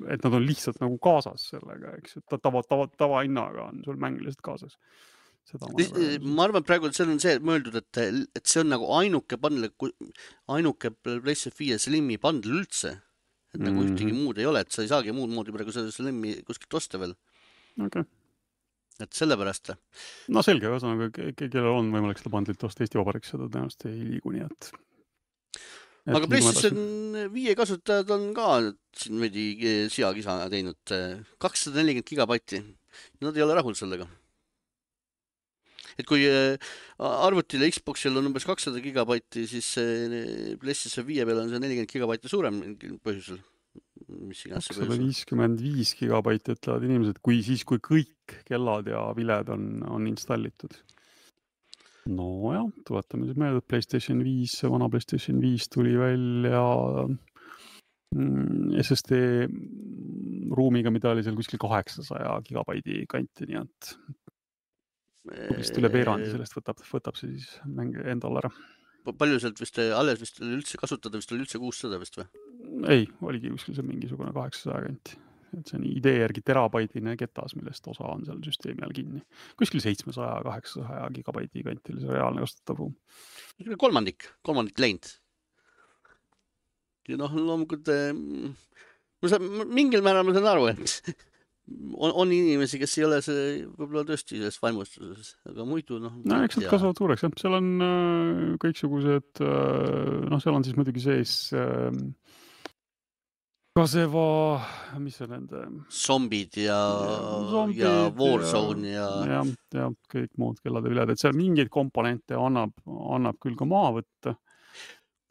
et nad on lihtsalt nagu kaasas sellega, eks. Tava, tava, tava hinnaga on sul mäng lihtsalt kaasas. Seda ma, ma arvan, praegu see on see mõeldud, et, et see on nagu ainuke bundle, ainuke PlayStation viie Slimi bundle üldse. Et nagu mm-hmm. ühtegi muud ei ole, et sa ei saagi muud moodi praegu selle Slimi kuskilt osta veel. Okei. Okay. Et sellepärast. No selge, ühesõnaga, kellel on võimalik seda bundlit osta Eesti Vabariks, seda tõenäoliselt ei liigu nii, et... et aga PlayStation viie kasutajad on ka siin veidi siakisa teinud kakssada nelikümmend gigabaiti. Nad ei ole rahul sellega. Et kui arvutile Xboxil on umbes kakssada gigabaiti, siis PlayStation viie peal on see nelikümmend gigabaiti suurem põhjusel. kakssada viiskümmend viis gigabaiti ütlevad inimesed, kui siis, kui kõik kellad ja viled on, on installitud. No jah, tuletame siis meelde, et PlayStation viis, vana PlayStation viis tuli välja S S D ruumiga, mida oli seal kuskil kaheksasaja gigabaidi kanti, nii et vist üle veerandi sellest võtab, võtab see siis mäng endal ära. Palju sealt vist alles vist üldse kasutada, vist oli üldse kuussada vist või? Ei, oligi kuskil see mingisugune kaheksasaja kanti. Et see on idee järgi terabaidine ketas, millest osa on seal süsteemi all kinni. Kuskil seitsmesaja kaheksasaja gigabaidi kanti oli see reaalne kasutatav ruum. Kolmandik, kolmandik läinud. Ja noh, loomulikult mingil määral ma saan aru, et on, on inimesi, kes ei ole see võib-olla tõesti selles vaimustuses, aga muidu noh. No, eks nad kasvavad suureks, jah. Seal on äh, kõiksugused, äh, noh, seal on siis muidugi sees äh, kaseva, mis see nende? Zombid ja, ja, ja Warzone ja... Ja, ja, ja kõik muud kellade viled, et seal mingeid komponente annab, annab küll ka maha võtta.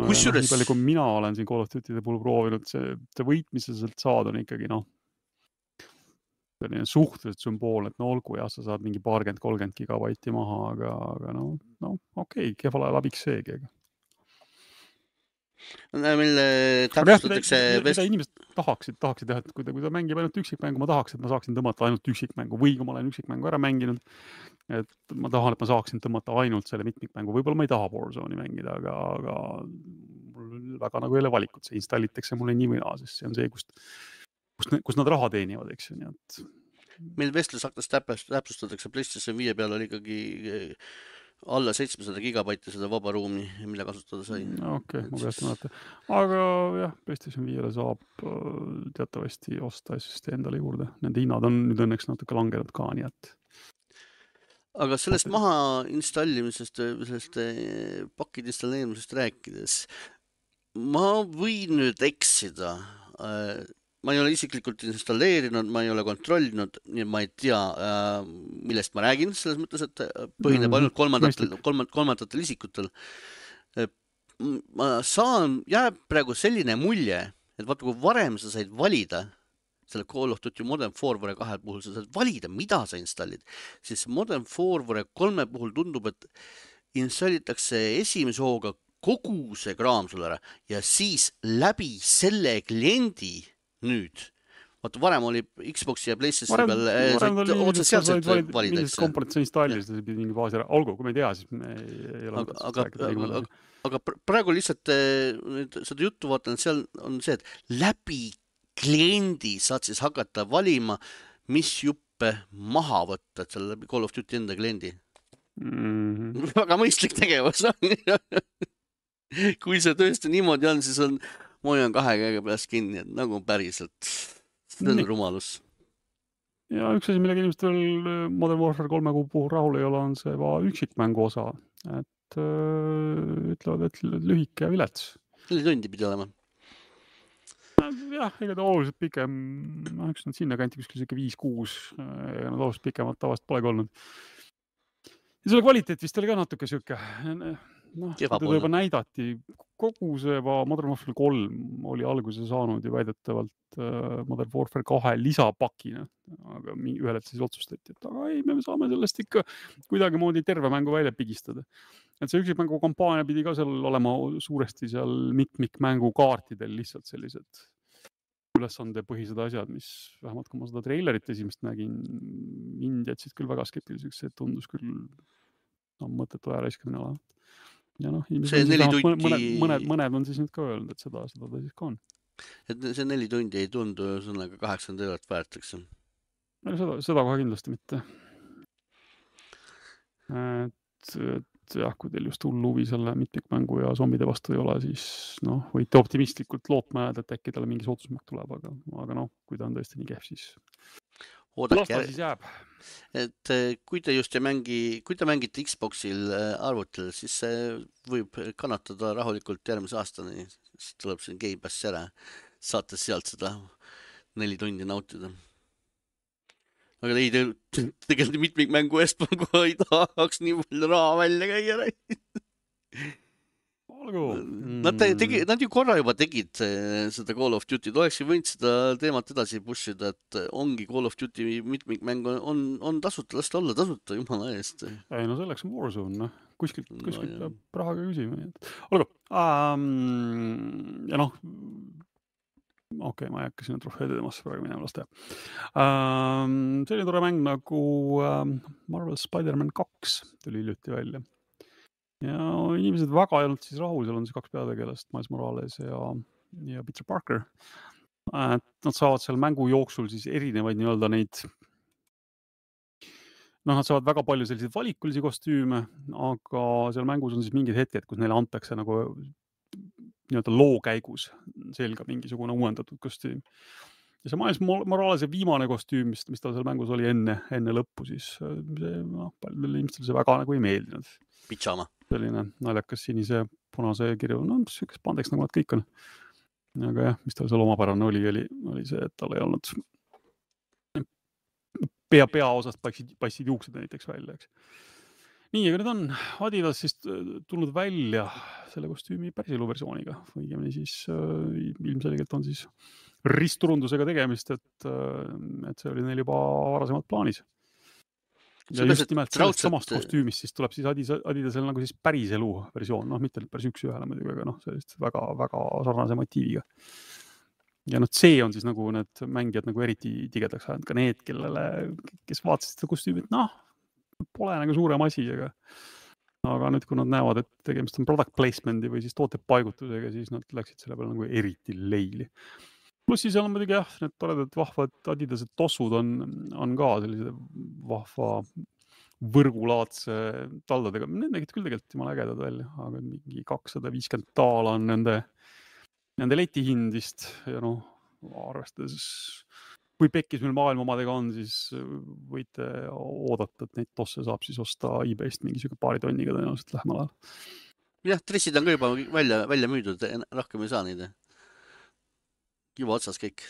Kusjuures... Nii palju, kui mina olen siin Call of Duty'de puhul proovinud, see, see võit, mis sa sealt saad, on ikkagi, noh, selline suhteliselt sümbool, et no olgu, jah, sa saad mingi paarkümmend kolmkümmend gigabaiti maha, aga, aga no, no okei, okay, kehval ajal abiks seegi. Mille täpsustatakse... Mida inimesed tahaksid, tahaksid jah, et kui ta, kui ta mängib ainult üksikmängu, ma tahaks, et ma saaksin tõmmata ainult üksikmängu või kui ma olen üksikmängu ära mänginud, et ma tahan, et ma saaksin tõmmata ainult selle mitmikmängu. Võib-olla ma ei taha Warzone'i mängida, aga, aga mul väga nagu ei ole valikut. See installitakse mulle nii või naa, sest see on see, kust Kus, kus nad raha teenivad, eks ju, nii et... Meil vestlusaktas täpsustatakse PlayStation viie peal oli ikkagi alla seitsmesada gigabaiti seda vaba ruumi, mille kasutada sai. Okei, okay, ma peast mõelda. Aga jah, PlayStation viiele saab teatavasti osta S S D endale juurde. Nende hinnad on nüüd õnneks natuke langenud ka, nii et... Aga sellest maha installimisest, sellest pakid installeerimisest rääkides, ma võin nüüd eksida... Ma ei ole isiklikult installeerinud, ma ei ole kontrollinud, nii et ma ei tea, millest ma räägin, selles mõttes, et põhineb ainult kolmandatel, kolmand, kolmandatel isikutel. Ma saan, jääb praegu selline mulje, et vaata, kui varem sa said valida selle Call of Duty Modern Warfare kahe puhul, sa saad valida, mida sa installid, siis Modern Warfare kolme puhul tundub, et installitakse esimese hooga kogu see kraam sulle ära ja siis läbi selle kliendi nüüd. Vaata, varem oli Xboxi ja PlayStation peal otse sealselt valida. Millised komponent sa installisid, see pidi mingi baasi ära. Olgu, kui me ei tea, siis me ei ole aga, aga, aga, aga praegu lihtsalt seda juttu vaatan, et seal on see, et läbi kliendi saad siis hakata valima, mis juppe maha võtta, et seal läbi Call of Duty enda kliendi. Mm-hmm. Väga mõistlik tegevus. Kui see tõesti niimoodi on, siis on ma hoian kahe käega peast kinni, et nagu päriselt. See on rumalus. Ja üks asi, millega inimestel Modern Warfare kolme kuu puhul rahul ei ole, on see üksikmängu osa. Et öö, ütlevad, et lühike ja vilets. Neli tundi pidi olema. Jah, ega ta oluliselt pikem, üks on sinna kanti kuskil siuke viis kuus, ega nad oluliselt pikemalt tavast polegi olnud. Ja selle kvaliteet vist oli ka natuke siuke noh, kui teda juba näidati, kogu see Modern Warfare kolm oli alguse saanud ju väidetavalt uh, Modern Warfare kahe lisapakina, aga ühel hetkel siis otsustati, et aga ei, me saame sellest ikka kuidagi moodi terve mängu välja pigistada. Et see üksikmängu kampaania pidi ka seal olema suuresti seal mitmikmängu kaartidel lihtsalt sellised ülesande põhised asjad, mis vähemalt kui ma seda treilerit esimest nägin, mind jätsid küll väga skeptiliseks, see tundus küll no, mõttetu aja raiskamine olevat. Ja noh, see neli tundi... mõned, mõned, mõned on siis nüüd ka öelnud, et seda, seda ta siis ka on. Et see neli tundi ei tundu sõnaga kaheksakümmend eurot väärt, eks? Seda, seda kohe kindlasti mitte. Et, et jah, kui teil just hull huvi selle mitmikmängu ja zombide vastu ei ole, siis noh, võite optimistlikult lootma jääda, et äkki talle mingi soodusmärk tuleb, aga, aga noh, kui ta on tõesti nii kehv, siis oodake jär... siis jääb. Et kui te just ei mängi, kui te mängite Xboxil arvutil, siis see võib kannatada rahulikult järgmise aastani, siis tuleb siin Game Pass ära, saate sealt seda neli tundi nautida. Aga ei, te tegelikult mitmikmängu eest ma kohe ei tahaks nii palju raha välja käia. Olgu. Nad, tegi, nad ju korra juba tegid seda Call of Duty, oleks ju võinud seda teemat edasi pushida, et ongi Call of Duty mitmikmäng on, on tasuta, las ta olla tasuta, jumala eest. Ei, no selleks on Warzone, noh. Kuskilt, kuskilt no, peab rahaga küsima. Olgu. Um, ja noh, okei, okay, ma ei hakka sinna trofeede temasse praegu minema lasta. Um, see oli tore mäng nagu um, Marvel Spider-Man kaks tuli hiljuti välja. Ja inimesed väga ei olnud siis rahul, seal on siis kaks peategelast, Miles Morales ja, ja Peter Parker. Et nad saavad seal mängu jooksul siis erinevaid nii-öelda neid, noh, nad saavad väga palju selliseid valikulisi kostüüme, aga seal mängus on siis mingid hetked, kus neile antakse nagu nii-öelda loo käigus selga mingisugune uuendatud kostüüm. Ja see Miles Moralese viimane kostüüm, mis, mis tal seal mängus oli enne, enne lõppu, siis see, noh, paljudel inimestel see väga nagu ei meeldinud. Pitsama. Selline naljakas sinise punase kirju, no sükes pandeks nagu nad kõik on. Aga jah, mis tal seal omapärane oli, oli, oli see, et tal ei olnud pea, pea osast passid, passid juuksed näiteks välja, eks. Nii, aga nüüd on Adidas siis tulnud välja selle kostüümi päriselu versiooniga. Õigemini siis äh, ilmselgelt on siis ristturundusega tegemist, et, äh, et see oli neil juba varasemalt plaanis. Ja just just nimelt sellest samast kostüümist siis tuleb siis Adidas, Adidasel nagu siis päriselu versioon, noh, mitte päris üks ühele muidugi, aga noh, sellist väga, väga sarnase motiiviga. Ja noh, see on siis nagu need mängijad nagu eriti tigedaks ajanud, ka need, kellele, kes vaatasid seda kostüümi, et noh, pole nagu suurem asi, aga, aga nüüd, kui nad näevad, et tegemist on product placement'i või siis tootepaigutusega, siis nad läksid selle peale nagu eriti leili. Plus siis on muidugi jah, need toredad vahvad Adidased tossud on, on ka sellise vahva võrgulaadse taldadega. Need nägid küll tegelikult jumala ägedad välja, aga mingi kakssada viiskümmend daala on nende, nende leti hind vist ja noh, arvestades kui pekkis meil maailma omadega on, siis võite oodata, et neid tosse saab siis osta eBayst mingisugune paari tonniga tõenäoliselt lähemal ajal. Jah, dressid on ka juba välja, välja müüdud, rohkem ei saa neid. Juba otsas kõik.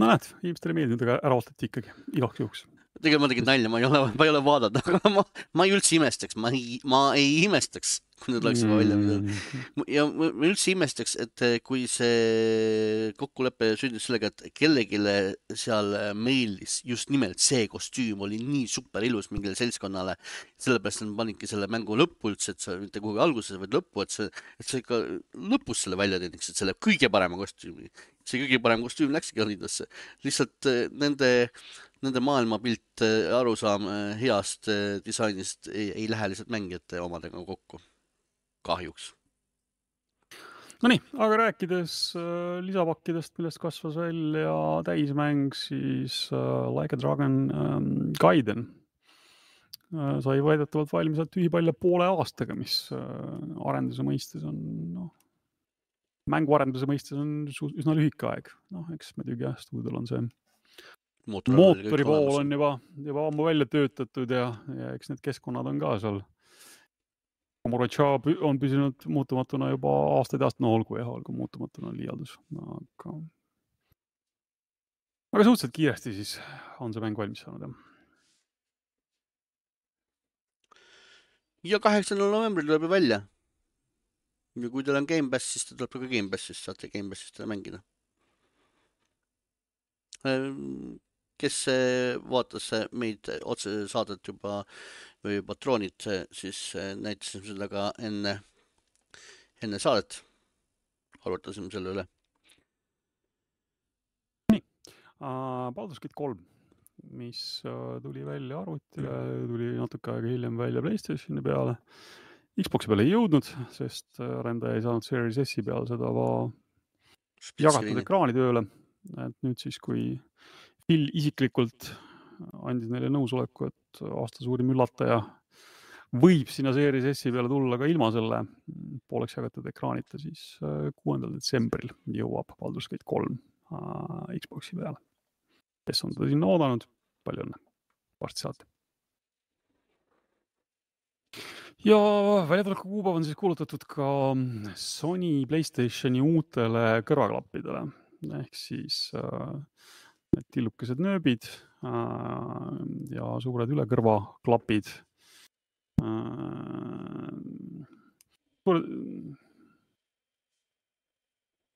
No näed, inimestele meeldinud, aga ära ootati ikkagi igaks juhuks. Tegelikult ma tegin nalja, ma ei ole, ma ei ole vaadata, aga ma, ma ei üldse imestaks, ma ei, ma ei imestaks, kui nüüd oleks juba välja midagi. Ja ma üldse imestaks, et kui see kokkulepe sündis sellega, et kellegile seal mailis just nimelt see kostüüm oli nii super ilus mingile seltskonnale, sellepärast nad panidki selle mängu lõppu üldse, et see mitte kuhugi alguses, vaid lõppu, et see, et see ikka lõpus selle välja teeniks, et selle kõige parema kostüümi. See kõige parem kostüüm läkski Adidasse. Lihtsalt nende Nende maailmapilt arusaam heast disainist ei, ei lähe lihtsalt mängijate omadega kokku. Kahjuks. No nii, aga rääkides äh, lisapakkidest, millest kasvas välja täismäng, siis äh, Like a Dragon ähm, Gaiden äh, sai väidetavalt valmis tühipalja poole aastaga, mis äh, arenduse mõistes on, noh, mänguarenduse mõistes on üsna lühike aeg. Noh, eks muidugi jah, stuudiol on see mootori pool on juba, juba ammu välja töötatud ja, ja eks need keskkonnad on ka seal. Komoracha on püsinud muutumatuna juba aastaid aastat, no olgu jah, olgu muutumatuna liialdus. Aga, aga suhteliselt kiiresti siis on see mäng valmis saanud. Ja kaheksandal novembril tuleb välja. ja kui teil on Gamepass, siis ta tuleb ka Gamepassist, saate Gamepassist seda mängida. Kes vaatas meid otse saadet juba või patroonid, siis näitasime seda ka enne, enne saadet. Arvutasime selle üle. Nii, Baldur's Gate kolm, mis tuli välja arvutile, tuli natuke aega hiljem välja PlayStationi peale. Xboxi peale ei jõudnud, sest arendaja ei saanud Series S-i peal seda jagatud ekraani tööle. Et nüüd siis, kui Phil isiklikult andis neile nõusoleku, et aasta suurim üllataja võib sinna Series S-i peale tulla ka ilma selle pooleks jagatud ekraanita, siis kuuendal detsembril jõuab Baldur's Gate kolm Xboxi peale. Kes on teda sinna oodanud, palju õnne, varsti saate. Ja väljatuleku kuupäev on siis kuulutatud ka Sony PlayStationi uutele kõrvaklappidele. Ehk siis äh, need tillukesed nööbid äh, ja suured ülekõrvaklapid. Äh, suure...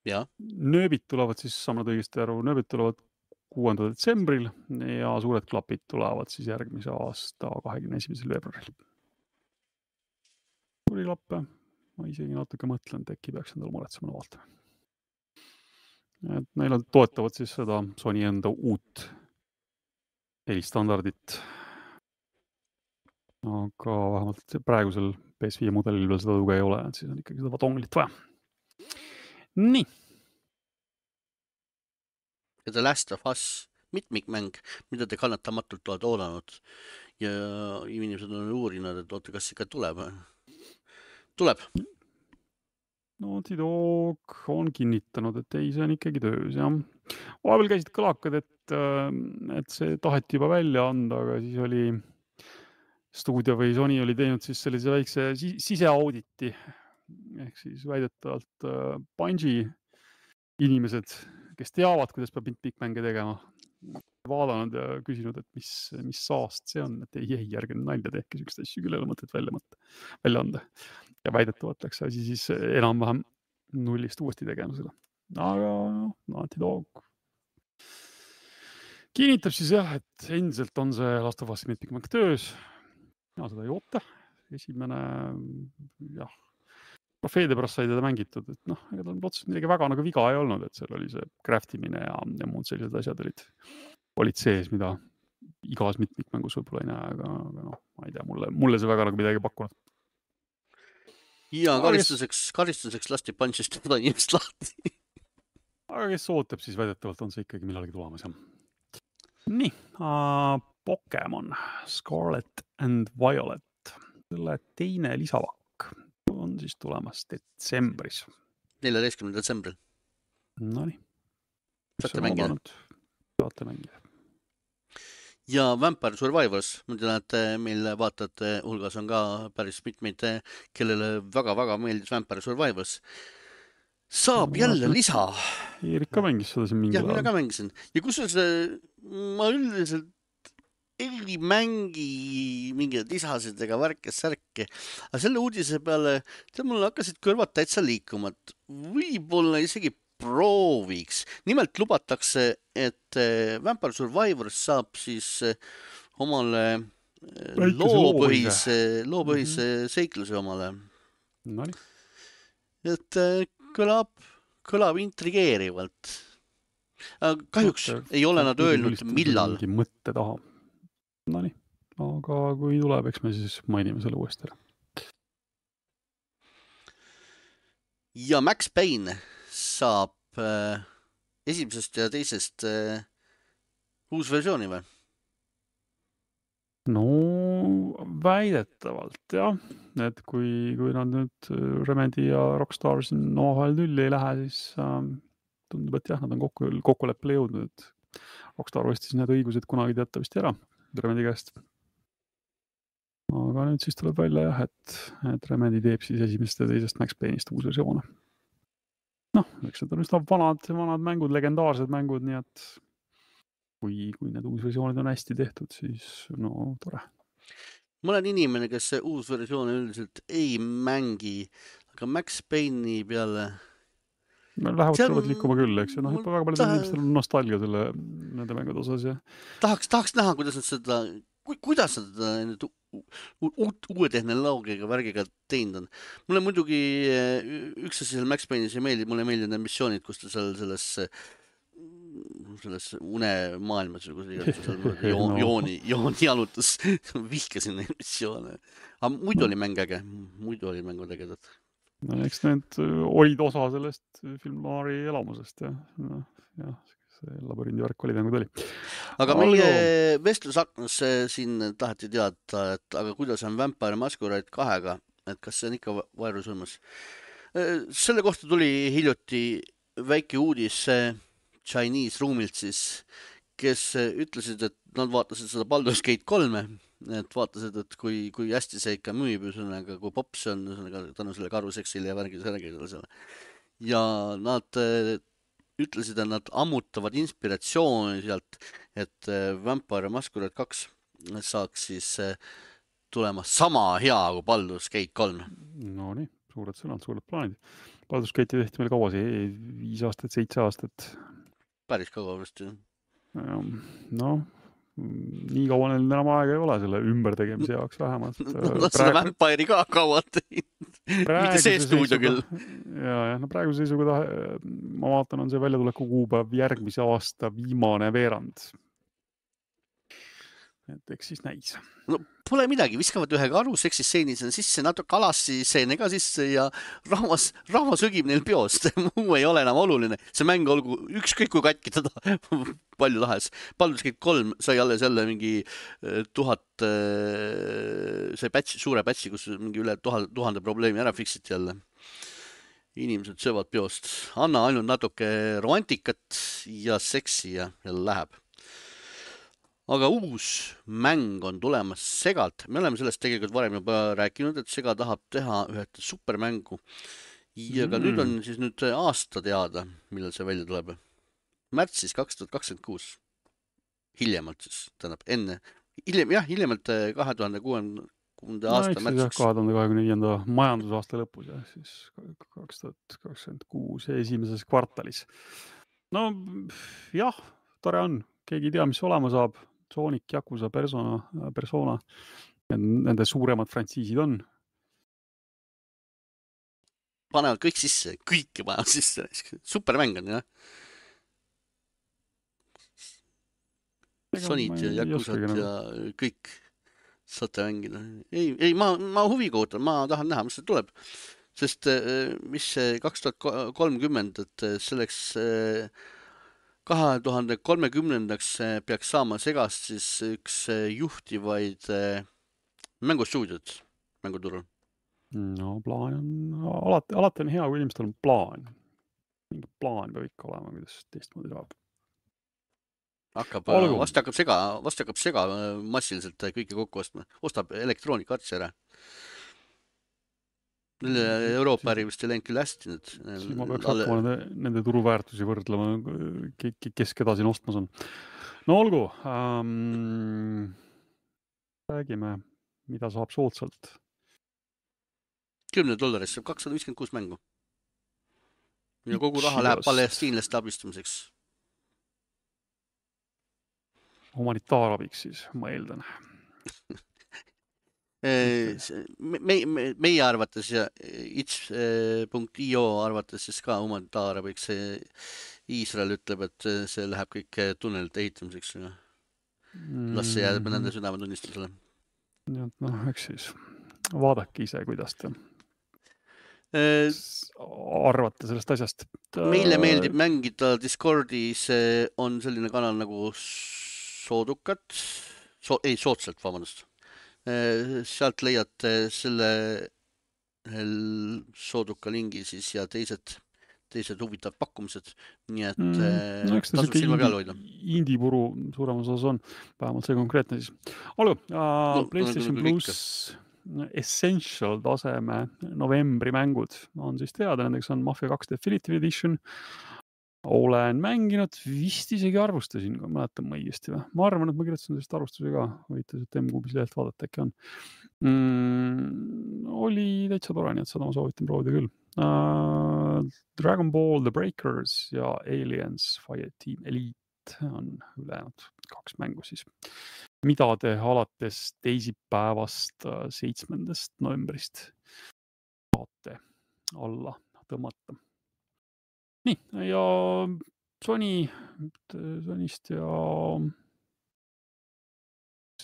ja. Nööbid tulevad siis, saamad õigesti aru, nööbid tulevad kuuendal detsembril ja suured klapid tulevad siis järgmise aasta kahekümne esimesel veebruaril. Suuri klappe, ma isegi natuke mõtlen, et äkki peaks endale muretsema vaatama. Et neil on toetavad siis seda Sony enda uut helistandardit. Aga vähemalt praegusel P S viie mudelil veel seda tuge ei ole, et siis on ikkagi seda donglit vaja. Nii. Ja The Last of Us mitmikmäng, mida te kannatamatult oled oodanud ja inimesed on uurinud, et oota, kas ikka tuleb. Tuleb. Naughty Dog on kinnitanud, et ei, see on ikkagi töös, jah. Vahepeal käisid kõlakad, et, et see taheti juba välja anda, aga siis oli stuudio või Sony oli teinud siis sellise väikse siseauditi. Ehk siis väidetavalt Bungie inimesed, kes teavad, kuidas peab mitmikmänge tegema, vaadanud ja küsinud, et mis, mis saast see on, et ei, ei, järgi nalja tehke, sükst asju küll ei ole mõtet välja, mõtte, välja anda. Ja väidetavalt läks asi siis enam-vähem nullist uuesti tegema seda. Aga Naughty Dog kinnitab siis jah, et endiselt on see Last of Us mitmikmäng töös. Ja seda ei oota. Esimene, jah, trofeede pärast sai teda mängitud, et noh, ega tal otseselt midagi väga nagu viga ei olnud, et seal oli see craftimine ja, ja muud sellised asjad olid, olid sees, mida igas mitmikmängus võib-olla ei näe, aga, aga noh, ma ei tea, mulle, mulle see väga nagu midagi pakkunud. Ja karistuseks, karistuseks lasti Bunge'ist seda inimest lahti. Aga kes ootab, siis väidetavalt on see ikkagi millalgi tulemas. Jah. Nii, uh, Pokemon Scarlet and Violet. Selle teine lisavakk on siis tulemas detsembris. neljateistkümnendal detsembril. Nonii. Saate mängida. Saate mängida. Ja Vampire Survivors, ma tean, et meil vaatajate hulgas on ka päris mitmeid, kellele väga-väga meeldis Vampire Survivors. Saab no, jälle lisa. Eerika mängis seda siin mingi jah, mina ka mängisin. Ja kusjuures ma üldiselt ei mängi mingeid lisasid ega värke, särke. Aga selle uudise peale, tead, mul hakkasid kõrvad täitsa liikuma. Võib-olla isegi prooviks. Nimelt lubatakse, et Vampire Survivors saab siis omale loopõhise, loopõhise mm-hmm. seikluse omale. Nonii. Et kõlab, kõlab intrigeerivalt. Kahjuks Mõtte, ei ole nad öelnud, millal. Mingi mõtte taha. Nonii. Aga kui tuleb, eks me siis mainime selle uuesti ära. Ja Max Payne saab äh, esimesest ja teisest äh, uus versiooni või? No väidetavalt jah, et kui, kui nad nüüd Remedy ja Rockstar siin omavahel tülli ei lähe, siis äh, tundub, et jah, nad on kokku, kokkuleppele jõudnud, et Rockstar ostis need õigused kunagi teatavasti ära Remedy käest. Aga nüüd siis tuleb välja jah, et, et Remedy teeb siis esimesest ja teisest Max Payne'ist uus versioon. Noh, eks need on üsna vanad, vanad mängud, legendaarsed mängud, nii et kui, kui need uus versioonid on hästi tehtud, siis no tore. Ma olen inimene, kes see uus versioon üldiselt ei mängi. aga Max Payne'i peale Lähevad See on- tulevad liikuma küll, eks ju, noh, mul väga paljudel taha- inimestel on nostalgia selle, nende mängude osas ja tahaks, tahaks näha, kuidas nad seda, kuidas nad seda nüüd u- u- uut, uue tehnoloogiaga värgiga teinud on. Mulle muidugi eh, üks asi seal Max Payne'is ei meeldi, mulle meeldivad need missioonid, kus ta seal selles selles unemaailmas või kuidas iganes seal niimoodi joon, No. jooni, jooni jalutas. Vihkasin neid missioone. Aga muidu oli mäng äge, muidu oli mängud ägedad. no, eks need öö, olid osa sellest film noiri elamusest ja noh, jah, see labürindi värk oli nagu ta oli. Aga Olgu. meie vestlusaknas eh, siin taheti teada, et aga kuidas on Vampire Masquerade kahega, et kas see on ikka vaerusurmas. Selle kohta tuli hiljuti väike uudis eh, Chinese ruumilt siis, kes eh, ütlesid, et nad vaatasid seda Baldur's Gate kolme, et vaatasid, et kui, kui hästi see ikka müüb, ühesõnaga, kui pops see on, ühesõnaga, tänu selle karuseksile ja värgile selle selle. Ja nad eh, ütlesid, et nad ammutavad inspiratsiooni sealt, et eh, Vampire Masquerade kaks saaks siis eh, tulema sama hea kui Baldur's Gate kolm. No nii, suured sõnad, suured plaanid. Baldur's Gate'i tehti meil kaua see, viis aastat, seitse aastat. Päris kaua vist. No, nii kaua neil enam aega ei ole selle ümbertegemise jaoks vähemalt. Nad seda Vampire'i ka kaua teinud. Mitte see stuudio küll. Ja, ja, no praeguse seisuga ta, ma vaatan, on see väljatuleku kuupäev järgmise aasta viimane veerand. Et eks siis näis. No pole midagi, viskavad ühe karu seksistseenis sisse, natuke alassi seene ka sisse ja rahvas, rahvas õgib neil peost. Muu ei ole enam oluline. See mäng olgu ükskõik kui katki teda palju tahes. Baldur's Gate kolm sai alles jälle mingi tuhat, sai patch, suure patchi, kus mingi üle tuhande, tuhande probleemi ära fixiti jälle. Inimesed söövad peost. Anna ainult natuke romantikat ja seksi ja jälle läheb. Aga uus mäng on tulemas Segalt. Me oleme sellest tegelikult varem juba rääkinud, et Sega tahab teha ühed supermängu. Ja ka mm. nüüd on siis nüüd aasta teada, millal see välja tuleb. Märtsis kaks tuhat kakskümmend kuus. Hiljemalt siis, tähendab enne. Hiljem, jah, hiljemalt kahe tuhande kuuenda aasta no, märtsiks. kahe tuhande kahekümne viienda majandusaasta lõpus ja siis kaks tuhat kakskümmend kuus esimeses kvartalis. No jah, tore on. Keegi ei tea, mis olema saab. Sonic, Yakuza, Persona, Persona. Nende suuremad frantsiisid on. Panevad kõik sisse, kõike panevad sisse. Supermäng on, jah. Sonic ja Yakuzat ja kõik saate mängida. Ei, ei ma, ma huviga ootan, ma tahan näha, mis see tuleb. Sest mis see kaks tuhat kolmkümmend, et selleks kahe tuhande kolmekümnendaks peaks saama Segast siis üks juhtivaid mängustuudiot mänguturul. No plaan on, alati, alati on hea, kui inimestel on plaan. Mingi plaan peab ikka olema, kuidas teistmoodi saab. Hakkab, vast hakkab Sega, vast hakkab Sega massiliselt kõike kokku ostma. Ostab elektroonikartsi ära. Euroopa äri vist ei läinud küll hästi nüüd. Siis ma peaks hakkama nende, nende turuväärtusi võrdlema, kes keda siin ostmas on. No olgu, ähm, räägime, mida saab soodsalt. kümne dollaris saab kakssada viiskümmend kuus mängu. Ja kogu raha läheb palestiinlaste abistamiseks. Humanitaarabiks siis, ma eeldan. Me, me, meie arvates ja itch punkt i o arvates siis ka humanitaarabiks Iisrael ütleb, et see läheb kõik tunnelite ehitamiseks. Las see jääb nende südametunnistusele. No, eks siis vaadake ise, kuidas te arvate sellest asjast. Meile meeldib mängida Discordis, on selline kanal nagu Soodukat, so, ei soodsalt, vabandust. Sealt leiate selle Sooduka lingi siis ja teised, teised huvitavad pakkumised. Nii et mm, no, tasub silma peal hoida. Indipuru suuremas osas on, vähemalt see konkreetne siis. Olgu, uh, no, PlayStation no, Plus Essential taseme novembri mängud on siis teada, nendeks on Mafia kaks Definitive Edition, olen mänginud, vist isegi arvustasin, kui mäletan ma õigesti või. Ma arvan, et ma kirjutasin sellest arvustuse ka, võite sealt M-Kuubis lehelt vaadata, äkki on. Mm, oli täitsa tore, nii et seda ma soovitan proovida küll. Uh, Dragon Ball The Breakers ja Aliens Fireteam Elite on ülejäänud kaks mängu siis, mida te alates teisipäevast seitsmendast novembrist saate alla tõmmata. Nii, ja Sony, Sonyst ja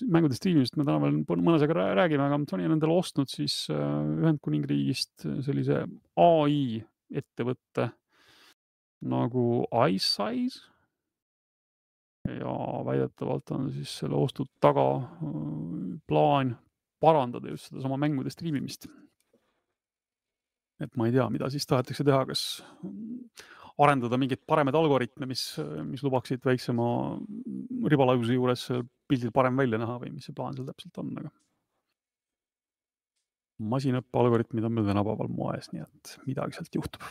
mängude streamist me täna veel mõnesega räägime, aga Sony on endale ostnud siis Ühendkuningriigist sellise A I ettevõtte nagu iSize ja väidetavalt on siis selle ostud taga plaan parandada just seda sama mängude streamimist. Et ma ei tea, mida siis tahetakse teha, kas arendada mingid paremad algoritme, mis, mis lubaksid väiksema ribalaiuse juures pildil parem välja näha või mis see plaan seal täpselt on. Aga masinõppe algoritmid on meil tänapäeval moes, nii et midagi sealt juhtub.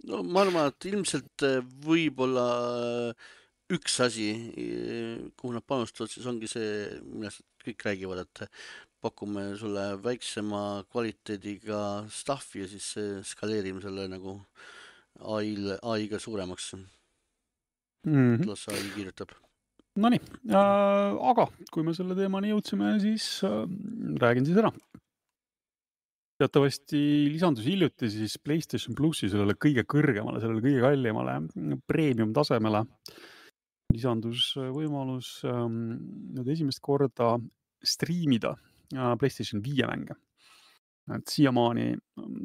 No ma arvan, et ilmselt võib-olla üks asi, kuhu nad panustavad, siis ongi see, millest kõik räägivad, et pakume sulle väiksema kvaliteediga staffi ja siis skaleerime selle nagu A I-ga suuremaks. Mm-hmm. Las A I kirjutab. No nii, äh, aga kui me selle teemani jõudsime, siis äh, räägin siis ära. Teatavasti lisandus hiljuti siis PlayStation Plussi sellele kõige kõrgemale, sellele kõige kallimale premium tasemele. Lisandus võimalus ähm, nüüd esimest korda striimida äh, PlayStation viie mänge. Et siiamaani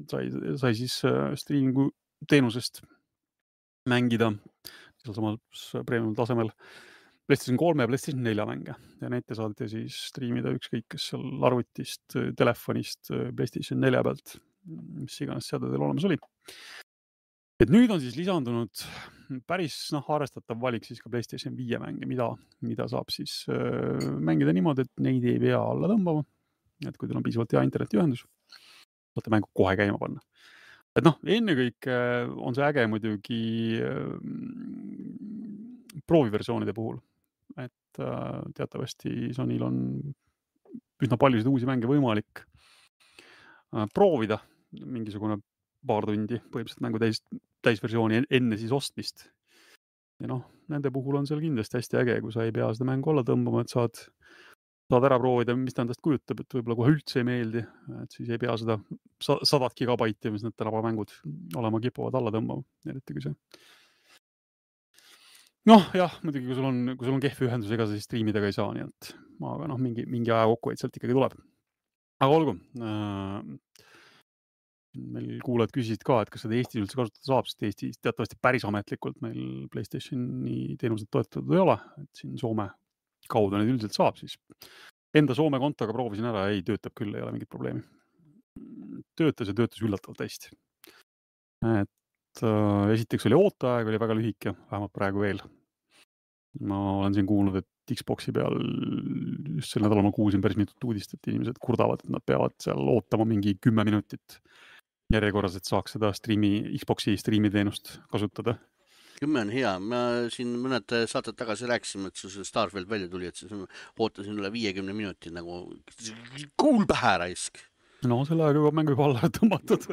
sai, sai siis äh, streamingu teenusest mängida seal samas premium tasemel PlayStation kolme ja PlayStation nelja mänge. Ja neid te saate siis streamida ükskõik, kes seal arvutist, telefonist, PlayStation nelja pealt, mis iganes seade teil olemas oli. Et nüüd on siis lisandunud päris noh, arvestatav valik siis ka PlayStation viie mänge, mida, mida saab siis äh, mängida niimoodi, et neid ei pea alla tõmbama. Et kui teil on piisavalt hea internetiühendus, saate mängu kohe käima panna. Et noh, ennekõike on see äge muidugi äh, prooviversioonide puhul. Et äh, teatavasti Sonyl on üsna paljusid uusi mänge võimalik äh, proovida mingisugune paar tundi, põhimõtteliselt mängu täis, täisversiooni enne siis ostmist. Ja noh, nende puhul on seal kindlasti hästi äge, kui sa ei pea seda mängu alla tõmbama, et saad, saad ära proovida, mis ta endast kujutab, et võib-olla kohe üldse ei meeldi, et siis ei pea seda sadat gigabaiti, mis need tänava mängud olema kipuvad alla tõmbama, eriti kui see. Noh, jah, muidugi, kui sul on, kui sul on kehv ühendus, ega sa siis streamidega ei saa, nii et aga noh, mingi, mingi aja kokku, et sealt ikkagi tuleb. Aga olgu, äh, meil kuulajad küsisid ka, et kas seda Eestis üldse kasutada saab, sest Eestis teatavasti päris ametlikult meil PlayStationi teenused toetatud ei ole, et siin Soome kaudu neid üldiselt saab, siis enda Soome kontoga proovisin ära, ei töötab küll, ei ole mingit probleemi. Töötas ja töötas üllatavalt hästi. Et äh, esiteks oli ooteaeg, oli väga lühike, vähemalt praegu veel. Ma olen siin kuulnud, et Xboxi peal just sel nädalal ma kuulsin päris mitut uudist, et inimesed kurdavad, et nad peavad seal ootama mingi kümme minutit järjekorras, et saaks seda streami, Xboxi streami teenust kasutada. Kümme on hea. Ma siin mõned saated tagasi rääkisime, et see Starfield välja tuli, et siis ootasin üle viiekümne minutit nagu kuul pähe raisk. No selle aega juba mängu juba alla tõmmatud.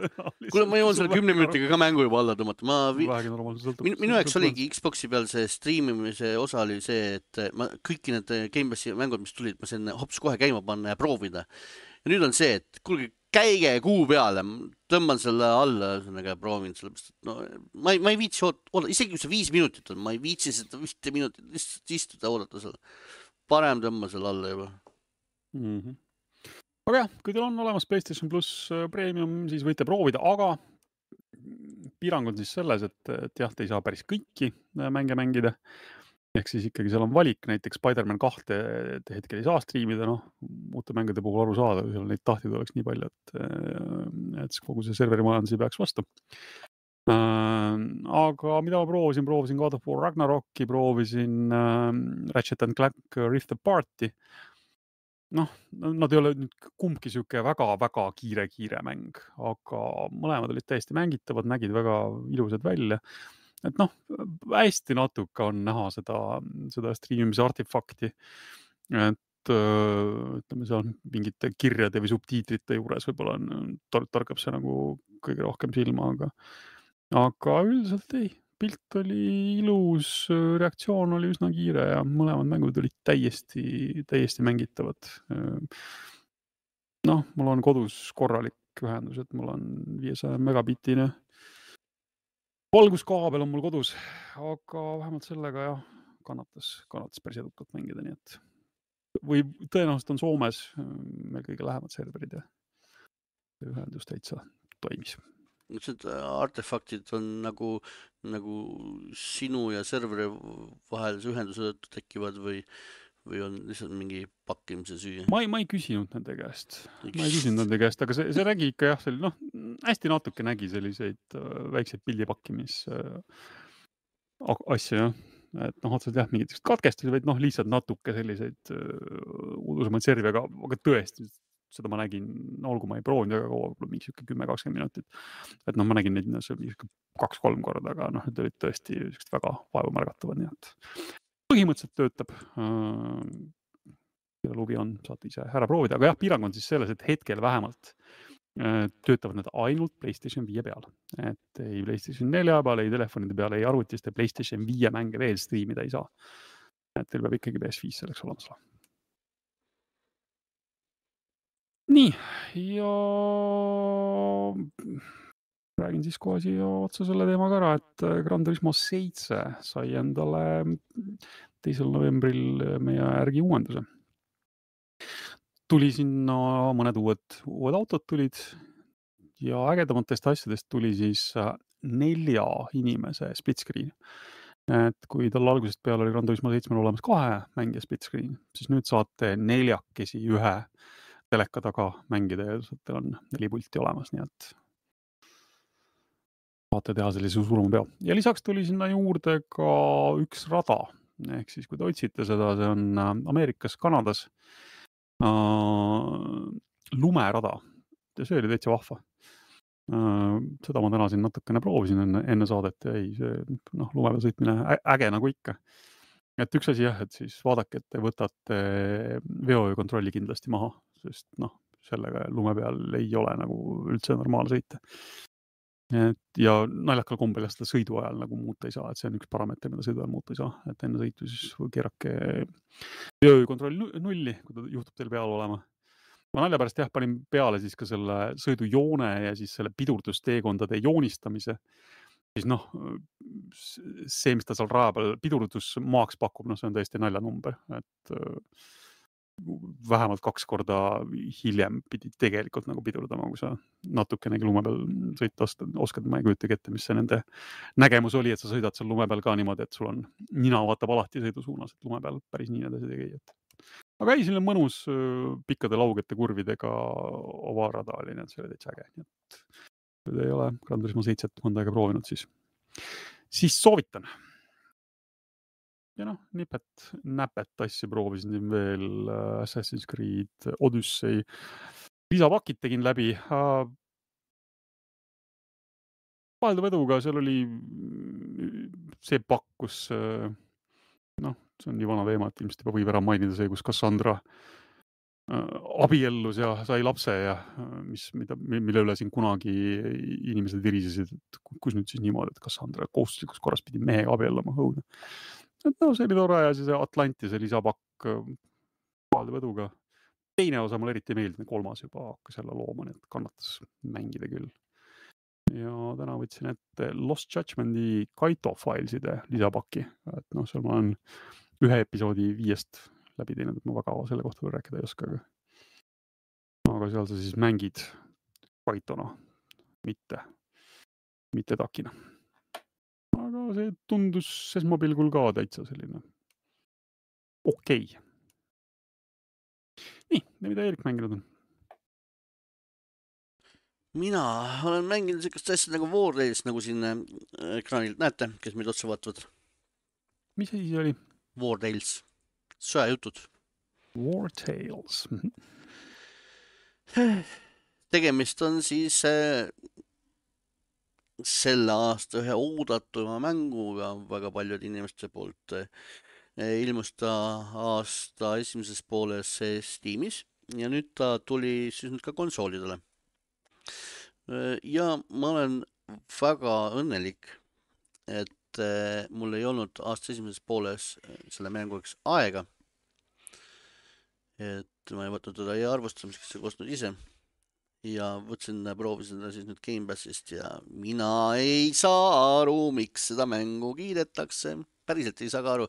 Kuule, ma jõuan selle kümne minutiga ka mängu juba alla tõmmata. Ma vi... minu, minu jaoks oligi Xboxi peal see streamimise osa oli see, et ma kõiki need Game Passi mängud, mis tulid, ma sain hops kohe käima panna ja proovida. Ja nüüd on see, et kuulge, käige kuu peale, tõmban selle alla, ühesõnaga proovin sellepärast, et no, ma ei, ma ei viitsi oodata, isegi kui see viis minutit on, ma ei viitsi seda viite minutit lihtsalt istuda oodata selle. Parem tõmba selle alla juba. Mm-hmm. Aga jah, kui teil on olemas PlayStation Plus Premium, siis võite proovida, aga piirang on siis selles, et, et jah, te ei saa päris kõiki mänge mängida. Ehk siis ikkagi seal on valik, näiteks Spider-Man kahte te hetkel ei saa streamida, noh, muuta mängude puhul aru saada, kui seal neid tahtid oleks nii palju, et, et kogu see serveri majandus ei peaks vastu. Aga mida ma proovisin, proovisin God of War Ragnaroki, proovisin Ratchet and Clank Rift Apart'i. Noh, nad ei ole nüüd kumbki siuke väga-väga kiire-kiire mäng, aga mõlemad olid täiesti mängitavad, nägid väga ilusad välja. et noh, hästi natuke on näha seda, seda streamimise artefakti, et ütleme, see on mingite kirjade või subtiitrite juures võib-olla on, torkab see nagu kõige rohkem silma, aga, aga üldiselt ei, pilt oli ilus, reaktsioon oli üsna kiire ja mõlemad mängud olid täiesti, täiesti mängitavad. Noh, mul on kodus korralik ühendus, et mul on viiesaja megabitine valguskaabel on mul kodus, aga vähemalt sellega jah, kannatas, kannatas päris edukalt mängida, nii et või tõenäoliselt on Soomes meil kõige lähemad serverid ja ühendus täitsa toimis. Need artefaktid on nagu, nagu sinu ja serveri vahelise ühenduse tekivad või, või on lihtsalt mingi pakkimise süü? Ma ei, ma ei küsinud nende käest. Ma ei küsinud nende käest, aga see, see nägi ikka jah, selline, noh, hästi natuke nägi selliseid väikseid pildipakkimis asju, jah. Et noh, otseselt jah, mingid katkestusi, vaid noh, lihtsalt natuke selliseid udusemaid servi, aga, aga tõesti, seda ma nägin, olgu ma ei proovinud väga kaua, mingi siuke kümme kakskümmend minutit. Et noh, ma nägin neid kaks-kolm korda, aga noh, need olid tõesti väga vaevamärgatavad, nii et põhimõtteliselt töötab. Ja lubi on, saate ise ära proovida, aga jah, piirang on siis selles, et hetkel vähemalt töötavad need ainult PlayStation viie peal. Et ei PlayStation nelja peal, ei telefonide peal, ei arvutiste PlayStation viie mänge veel streamida ei saa. Et teil peab ikkagi P S viis selleks olemas olema. Nii, ja räägin siis kohe siia otsa selle teemaga ära, et Gran Turismo seitse sai endale teisel novembril meie järgi uuenduse. Tuli sinna mõned uued, uued autod tulid ja ägedamatest asjadest tuli siis nelja inimese split screen. Et kui tal algusest peale oli Gran Turismo seitsmel olemas kahe mängija split screen, siis nüüd saate neljakesi ühe teleka taga mängida ja teil on neli pulti olemas, nii et saate teha sellise suurema peo. Ja lisaks tuli sinna juurde ka üks rada, ehk siis kui te otsite seda, see on Ameerikas, Kanadas äh, lumerada ja see oli täitsa vahva. Äh, seda ma täna siin natukene proovisin enne, enne saadet ja ei, see noh, lume peal sõitmine äge nagu ikka. Et üks asi jah, et siis vaadake, et te võtate veokontrolli kindlasti maha, sest noh, sellega lume peal ei ole nagu üldse normaal sõita. Et ja naljakal kombel seda sõidu ajal nagu muuta ei saa, et see on üks parameeter, mida sõidu ajal muuta ei saa, et enne sõitu siis keerake veokontroll nulli, kui ta juhtub teil peal olema. Ma nalja pärast jah, panin peale siis ka selle sõidujoone ja siis selle pidurdusteekondade joonistamise. Siis noh, see, mis ta seal raja peal pidurdusmaaks pakub, noh, see on tõesti naljanumber, et vähemalt kaks korda hiljem pidi tegelikult nagu pidurdama, kui sa natukenegi lume peal sõita oskad, ma ei kujuta ette, mis see nende nägemus oli, et sa sõidad seal lume peal ka niimoodi, et sul on nina vaatab alati sõidu suunas, et lume peal päris nii edasi tegi. Aga ei, selline mõnus pikkade laugete kurvidega ovarada oli, nii et see oli täitsa äge. Nii et kui te ei ole Gran Turismo seitset mõnda aega proovinud, siis, siis soovitan. Ja noh, nipet, näpet asju proovisin siin veel Assassin's Creed Odyssey. Lisapakid tegin läbi. Vahelduv eduga, seal oli see pakk, kus noh, see on nii vana teema, et ilmselt juba võib ära mainida see, kus Cassandra abiellus ja sai lapse ja mis, mida, mille üle siin kunagi inimesed virisesid, et kus nüüd siis niimoodi, et Cassandra kohustuslikus korras pidi mehega abiellama õudne. Et no, see oli tore ja siis Atlantise lisapakk vahelduv eduga. Teine osa mul eriti meeldib, kolmas juba hakkas jälle looma, nii et kannatas mängida küll. Ja täna võtsin ette Lost Judgmenti Kaito Fileside lisapakki, et noh, seal ma olen ühe episoodi viiest läbi teinud, et ma väga selle kohta veel rääkida ei oska, aga, aga seal sa siis mängid Kaitona, mitte, mitte takina. Aga see tundus esmapilgul ka täitsa selline okei. Nii, mida Eerik mänginud on? Mina olen mänginud sellist asja nagu War Tales, nagu siin ekraanilt näete, kes meid otsa vaatavad. Mis asi see oli? War Tales. Sõjajutud. War Tales. Tegemist on siis äh, selle aasta ühe oodatuma mänguga väga paljude inimeste poolt. Ilmus ta aasta esimeses pooles Steamis ja nüüd ta tuli siis nüüd ka konsoolidele. Ja ma olen väga õnnelik, et mul ei olnud aasta esimeses pooles selle mänguks aega. Et ma ei võtnud teda ei arvustamiseks ja kostnud ise. Ja võtsin, proovisin seda siis nüüd Game Passist ja mina ei saa aru, miks seda mängu kiidetakse. Päriselt ei saa ka aru.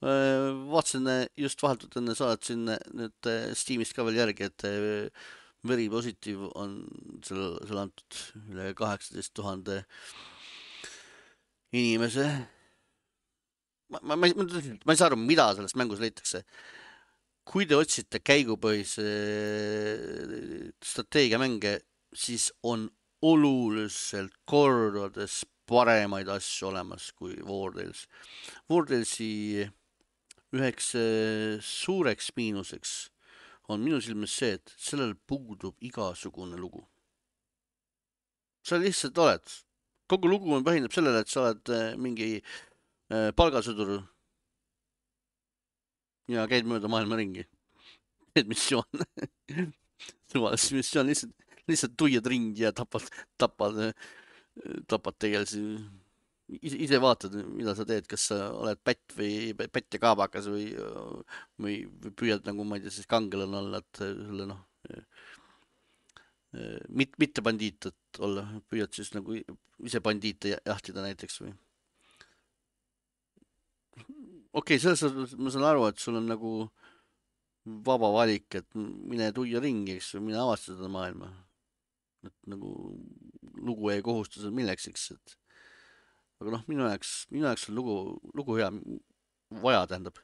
Vaatasin just vahetult enne saatsin nüüd Steamist ka veel järgi, et Very Positive on selle, selle antud üle kaheksateist tuhande inimese. Ma, ma, ma, ma ei saa aru, mida sellest mängus leitakse. Kui te otsite käigupõhise strateegiamänge, siis on oluliselt kordades paremaid asju olemas kui War Tales. War Talesi üheks suureks miinuseks on minu silmis see, et sellel puudub igasugune lugu. Sa lihtsalt oled. Kogu lugu on põhineb sellele, et sa oled mingi palgasõdur ja käid mööda maailma ringi. Teed missioon. Suvalis missioon, lihtsalt, lihtsalt tuiad ringi ja tapad, tapad, tapad tegelasi. Ise, ise vaatad, mida sa teed, kas sa oled pätt või pätt ja kaabakas või, või, või püüad nagu, ma ei tea, siis kangelane olla, et selle noh, mit, mitte bandiit, et olla, püüad siis nagu ise bandiite jahtida näiteks või. Okei, okay, selles ma saan aru, et sul on nagu vaba valik, et mine tuia ringi, eks, mine avasta seda maailma. Et nagu lugu ei kohustus milleks, eks, et aga noh, minu jaoks, minu jaoks on lugu, lugu hea vaja, tähendab.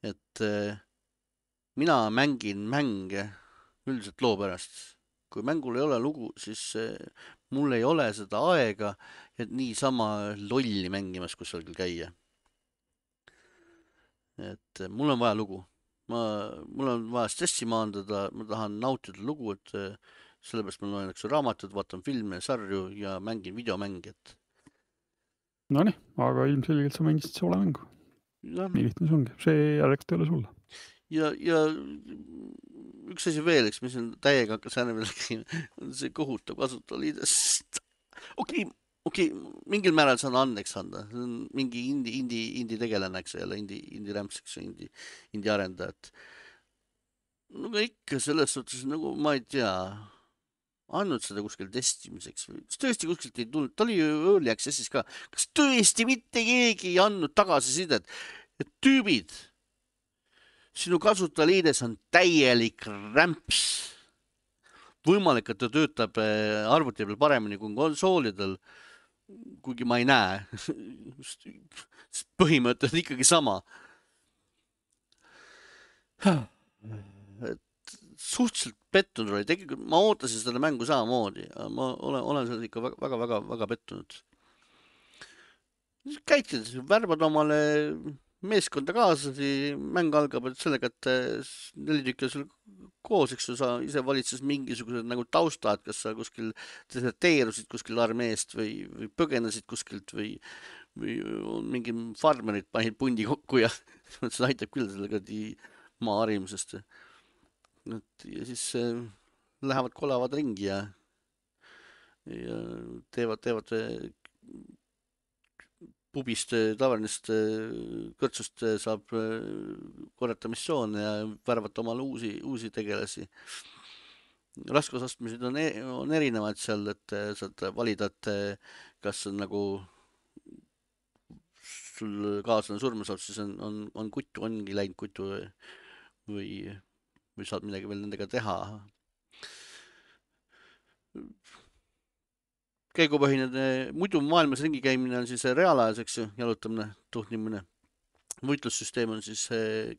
Et äh, mina mängin mänge üldiselt loo pärast. Kui mängul ei ole lugu, siis äh, mul ei ole seda aega, et niisama lolli mängimas kusagil käia. Et mul on vaja lugu. Ma, mul on vaja stressi maandada, ma tahan nautida lugu, et sellepärast ma loen raamatud, vaatan filme, sarju ja mängin videomängi. Et... No nii, aga ilmselgelt sa mängisid soole mängu. Ja. Nii lihtne see ongi. See järjeks tööle sulle. Ja, ja üks asi veel, eks, mis on täiega hakkas äärmel on see kohutav kasutajaliidest. Okei, okay. Okei, okay, mingil määral saan andeks anda. See on mingi indi, indi, indi tegelane, eks jälle, indi, indi rämpseks, indi, indi arendajat. No aga ikka selles suhtes, nagu ma ei tea, andnud seda kuskil testimiseks või kas tõesti kuskilt ei tulnud, ta oli ju early access'is ka. Kas tõesti mitte keegi ei andnud tagasisidet, et tüübid, sinu kasutajaliides on täielik rämps. Võimalik, et ta töötab arvuti peal paremini kui konsoolidel, kuigi ma ei näe. Põhimõte on ikkagi sama. Et suhteliselt pettunud oli. Tegelikult ma ootasin seda mängu samamoodi. Ma olen, olen seda ikka väga, väga, väga, väga pettunud. Käitid, värbad omale meeskonda kaasasi, mäng algab sellega, et neli tükki sul koos, eks sa ise valitses mingisugused nagu taustad, kas sa kuskil deserteerusid kuskil armeest või, või põgenesid kuskilt või, või mingi farmerid panid pundi kokku ja see aitab küll sellega maa harimisest. Ja siis lähevad kolavad ringi ja, ja teevad, teevad pubist, tavernist kõrtsust saab korrata missioone ja värvata omale uusi, uusi tegelasi. Raskusastmised on, on erinevad seal, et saad valida, et kas on nagu sul kaaslane surma saab, siis on, on, on kutu, ongi läinud kutu või, või saad midagi veel nendega teha. Käigupõhine, muidu maailmas ringi käimine on siis reaalajas, eks ju, jalutamine, tuhnimine. Võitlussüsteem on siis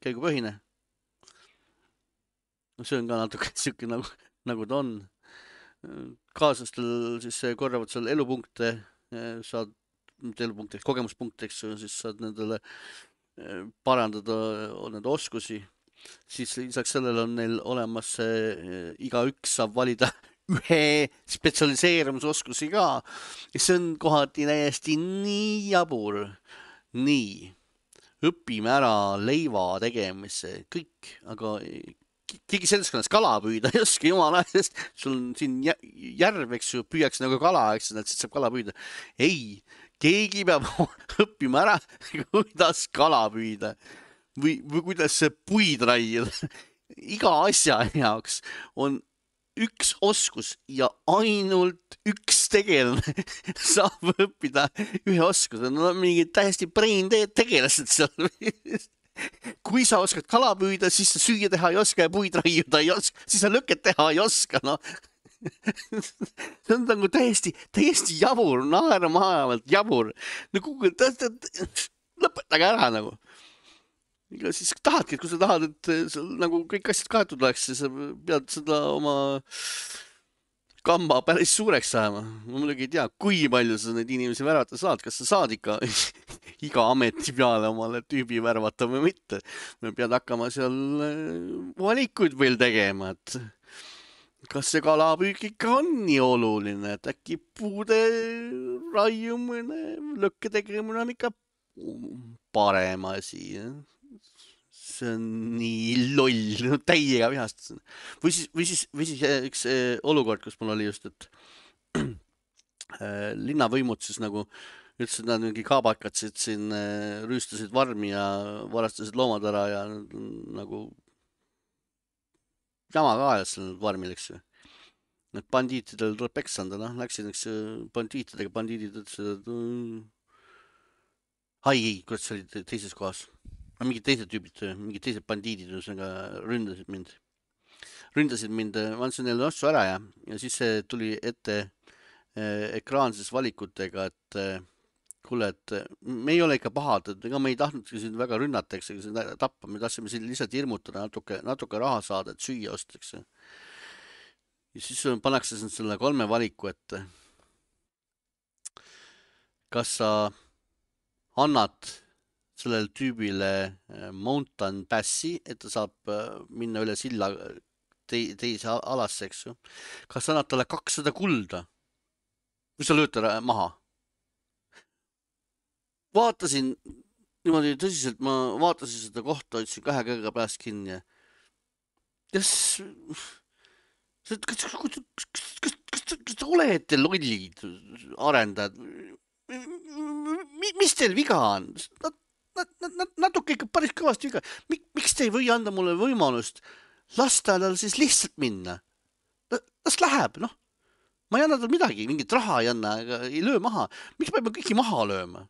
käigupõhine. See on ka natuke siuke nagu, nagu ta on. Kaaslastel siis korravad seal elupunkte, saad, mitte elupunkte, kogemuspunkte, eks ju, siis saad nendele parandada nende oskusi. Siis lisaks sellele on neil olemas, iga üks saab valida ühe spetsialiseerumisoskusi ka. Ja see on kohati täiesti nii jabur. Nii, õpime ära leiva tegemise, kõik, aga keegi seltskonnas kala püüda ei oska jumala, sest sul on siin järv, eks ju, püüaks nagu kala, eks ju, et siis saab kala püüda. Ei, keegi peab õppima ära, kuidas kala püüda või, või kuidas puid raiida. Iga asja jaoks on üks oskus ja ainult üks tegelane saab õppida ühe oskuse. No mingid täiesti brain dead tegelased seal. Kui sa oskad kala püüda, siis sa süüa teha ei oska ja puid raiuda ei oska, siis sa lõket teha ei oska, no. See on nagu täiesti, täiesti jabur, naeramaavalt jabur. No kuhu, lõpetage ära nagu. Ja siis tahadki, et kui sa tahad, et seal nagu kõik asjad kaetud oleks, siis sa pead seda oma kamba päris suureks saama. Ma muidugi ei tea, kui palju sa neid inimesi värvata saad, kas sa saad ikka iga ameti peale omale tüübi värvata või mitte. Me pead hakkama seal valikuid veel tegema, et kas see kalapüük ikka on nii oluline, et äkki puude raiumine, lõkke tegemine on ikka parem asi. See on nii loll, no täiega vihast. Või siis, või siis, või siis üks olukord, kus mul oli just, et linnavõimud siis nagu ütlesid, nad mingi kaabakatsid siin, rüüstasid varmi ja varastasid loomad ära ja nagu jama ka ajas seal varmil, eks ju. Need bandiitidel tuleb peks anda, noh, läksid üks bandiitidega, bandiidid ütlesid, et ai, ei, kurat, see oli teises kohas. Mingid teised tüübid, mingid teised bandiidid ründasid mind. Ründasid mind, ma andsin neile ostu ära ja, ja siis tuli ette ekraanses valikutega, et kuule, et me ei ole ikka pahad, et ega me ei tahtnudki siin väga rünnata, eks, tappa, me tahtsime siin lihtsalt hirmutada, natuke, natuke raha saada, et süüa ostaks. Ja siis pannakse selle kolme valiku, et kas sa annad sellel tüübile mountain passi, et ta saab minna üle silla te teise alasse, eks ju. Kas sa annad talle kakssada kulda? Või sa lööd ta maha? Vaatasin niimoodi tõsiselt, ma vaatasin seda kohta, ütlesin kahe käega pääst kinni. Kas, kas, kas, kas, kas te olete lollid arendajad? Mis teil viga on? Natuke ikka päris kõvasti viga. Miks te ei või anda mulle võimalust lasta tal siis lihtsalt minna? Las läheb, noh. Ma ei anna tal midagi, mingit raha ei anna, ei löö maha. Miks ma pean kõiki maha lööma?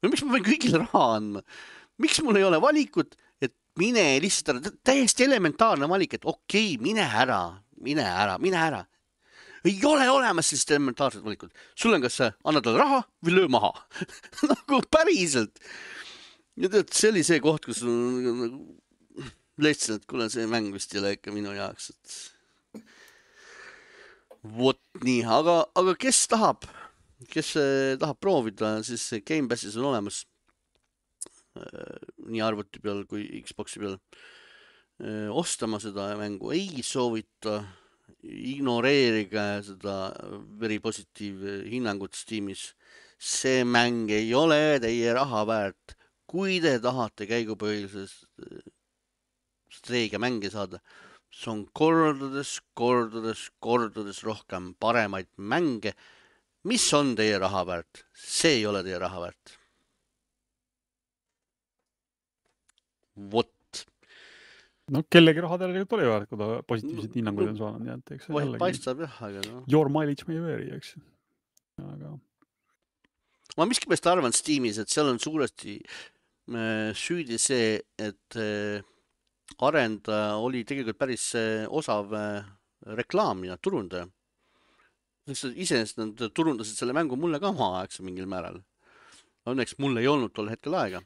Või miks ma pean kõigile raha andma? Miks mul ei ole valikut, et mine lihtsalt ära, täiesti elementaarne valik, et okei, mine ära, mine ära, mine ära. Ei ole olemas sellist elementaarset valikut. Sul on kas anna tal raha või löö maha. Nagu päriselt. Ja tead, see oli see koht, kus leidsin, et kuule, see mäng vist ei ole ikka minu jaoks. Et... Vot nii, aga, aga kes tahab, kes tahab proovida, siis Game Passis on olemas nii arvuti peal kui Xboxi peal. Ostama seda mängu ei soovita, ignoreerige seda very positiiv hinnangut Steamis. See mäng ei ole teie raha väärt. Kui te tahate käigupõhilisest streega mänge saada, see on kordades, kordades, kordades rohkem paremaid mänge. Mis on teie raha väärt? See ei ole teie raha väärt. Vot. No kellegi raha tegelikult oli väärt, kui ta positiivsed hinnanguid on saanud. Nii, et, eks, Vahet paistab jah, aga no. Your mileage may vary, eks. Aga... Ma miskipärast arvan Steamis, et seal on suuresti süüdi see, et arendaja oli tegelikult päris osav reklaamija, turundaja. Iseenesest nad turundasid selle mängu mulle ka omaaegse mingil määral. Õnneks mul ei olnud tol hetkel aega.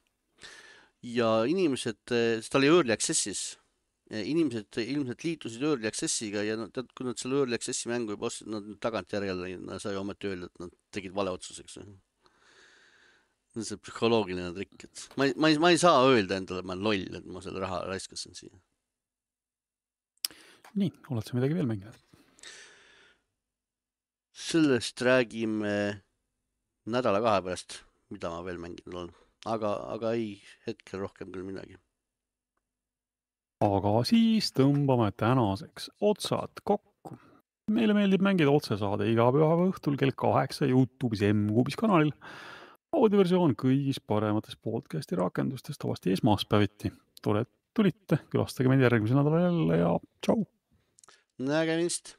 Ja inimesed, ta oli Early Accessis, inimesed ilmselt liitusid Early Accessiga ja tead, kui nad selle Early Accessi mängu juba ostsid, nad tagant järjele sai ometi öelda, et nad tegid vale otsuseks. See psühholoogiline trikk, et ma ei, ma, ei, ma ei saa öelda endale, et ma olen loll, et ma selle raha raiskasin siia. Nii, oled sa midagi veel mänginud? sellest räägime nädala kahe pärast, mida ma veel mänginud olen. Aga, aga ei, hetkel rohkem küll midagi. Aga siis tõmbame tänaseks otsad kokku. Meile meeldib mängida otsesaade iga pühapäeva õhtul kell kaheksa YouTube'is M-Kuubis kanalil. Audioversioon kõigis paremates podcasti rakendustes tavasti esmaspäeviti. Tore, et tulite, külastage meid järgmisel nädalal jälle ja tšau! Nägemist!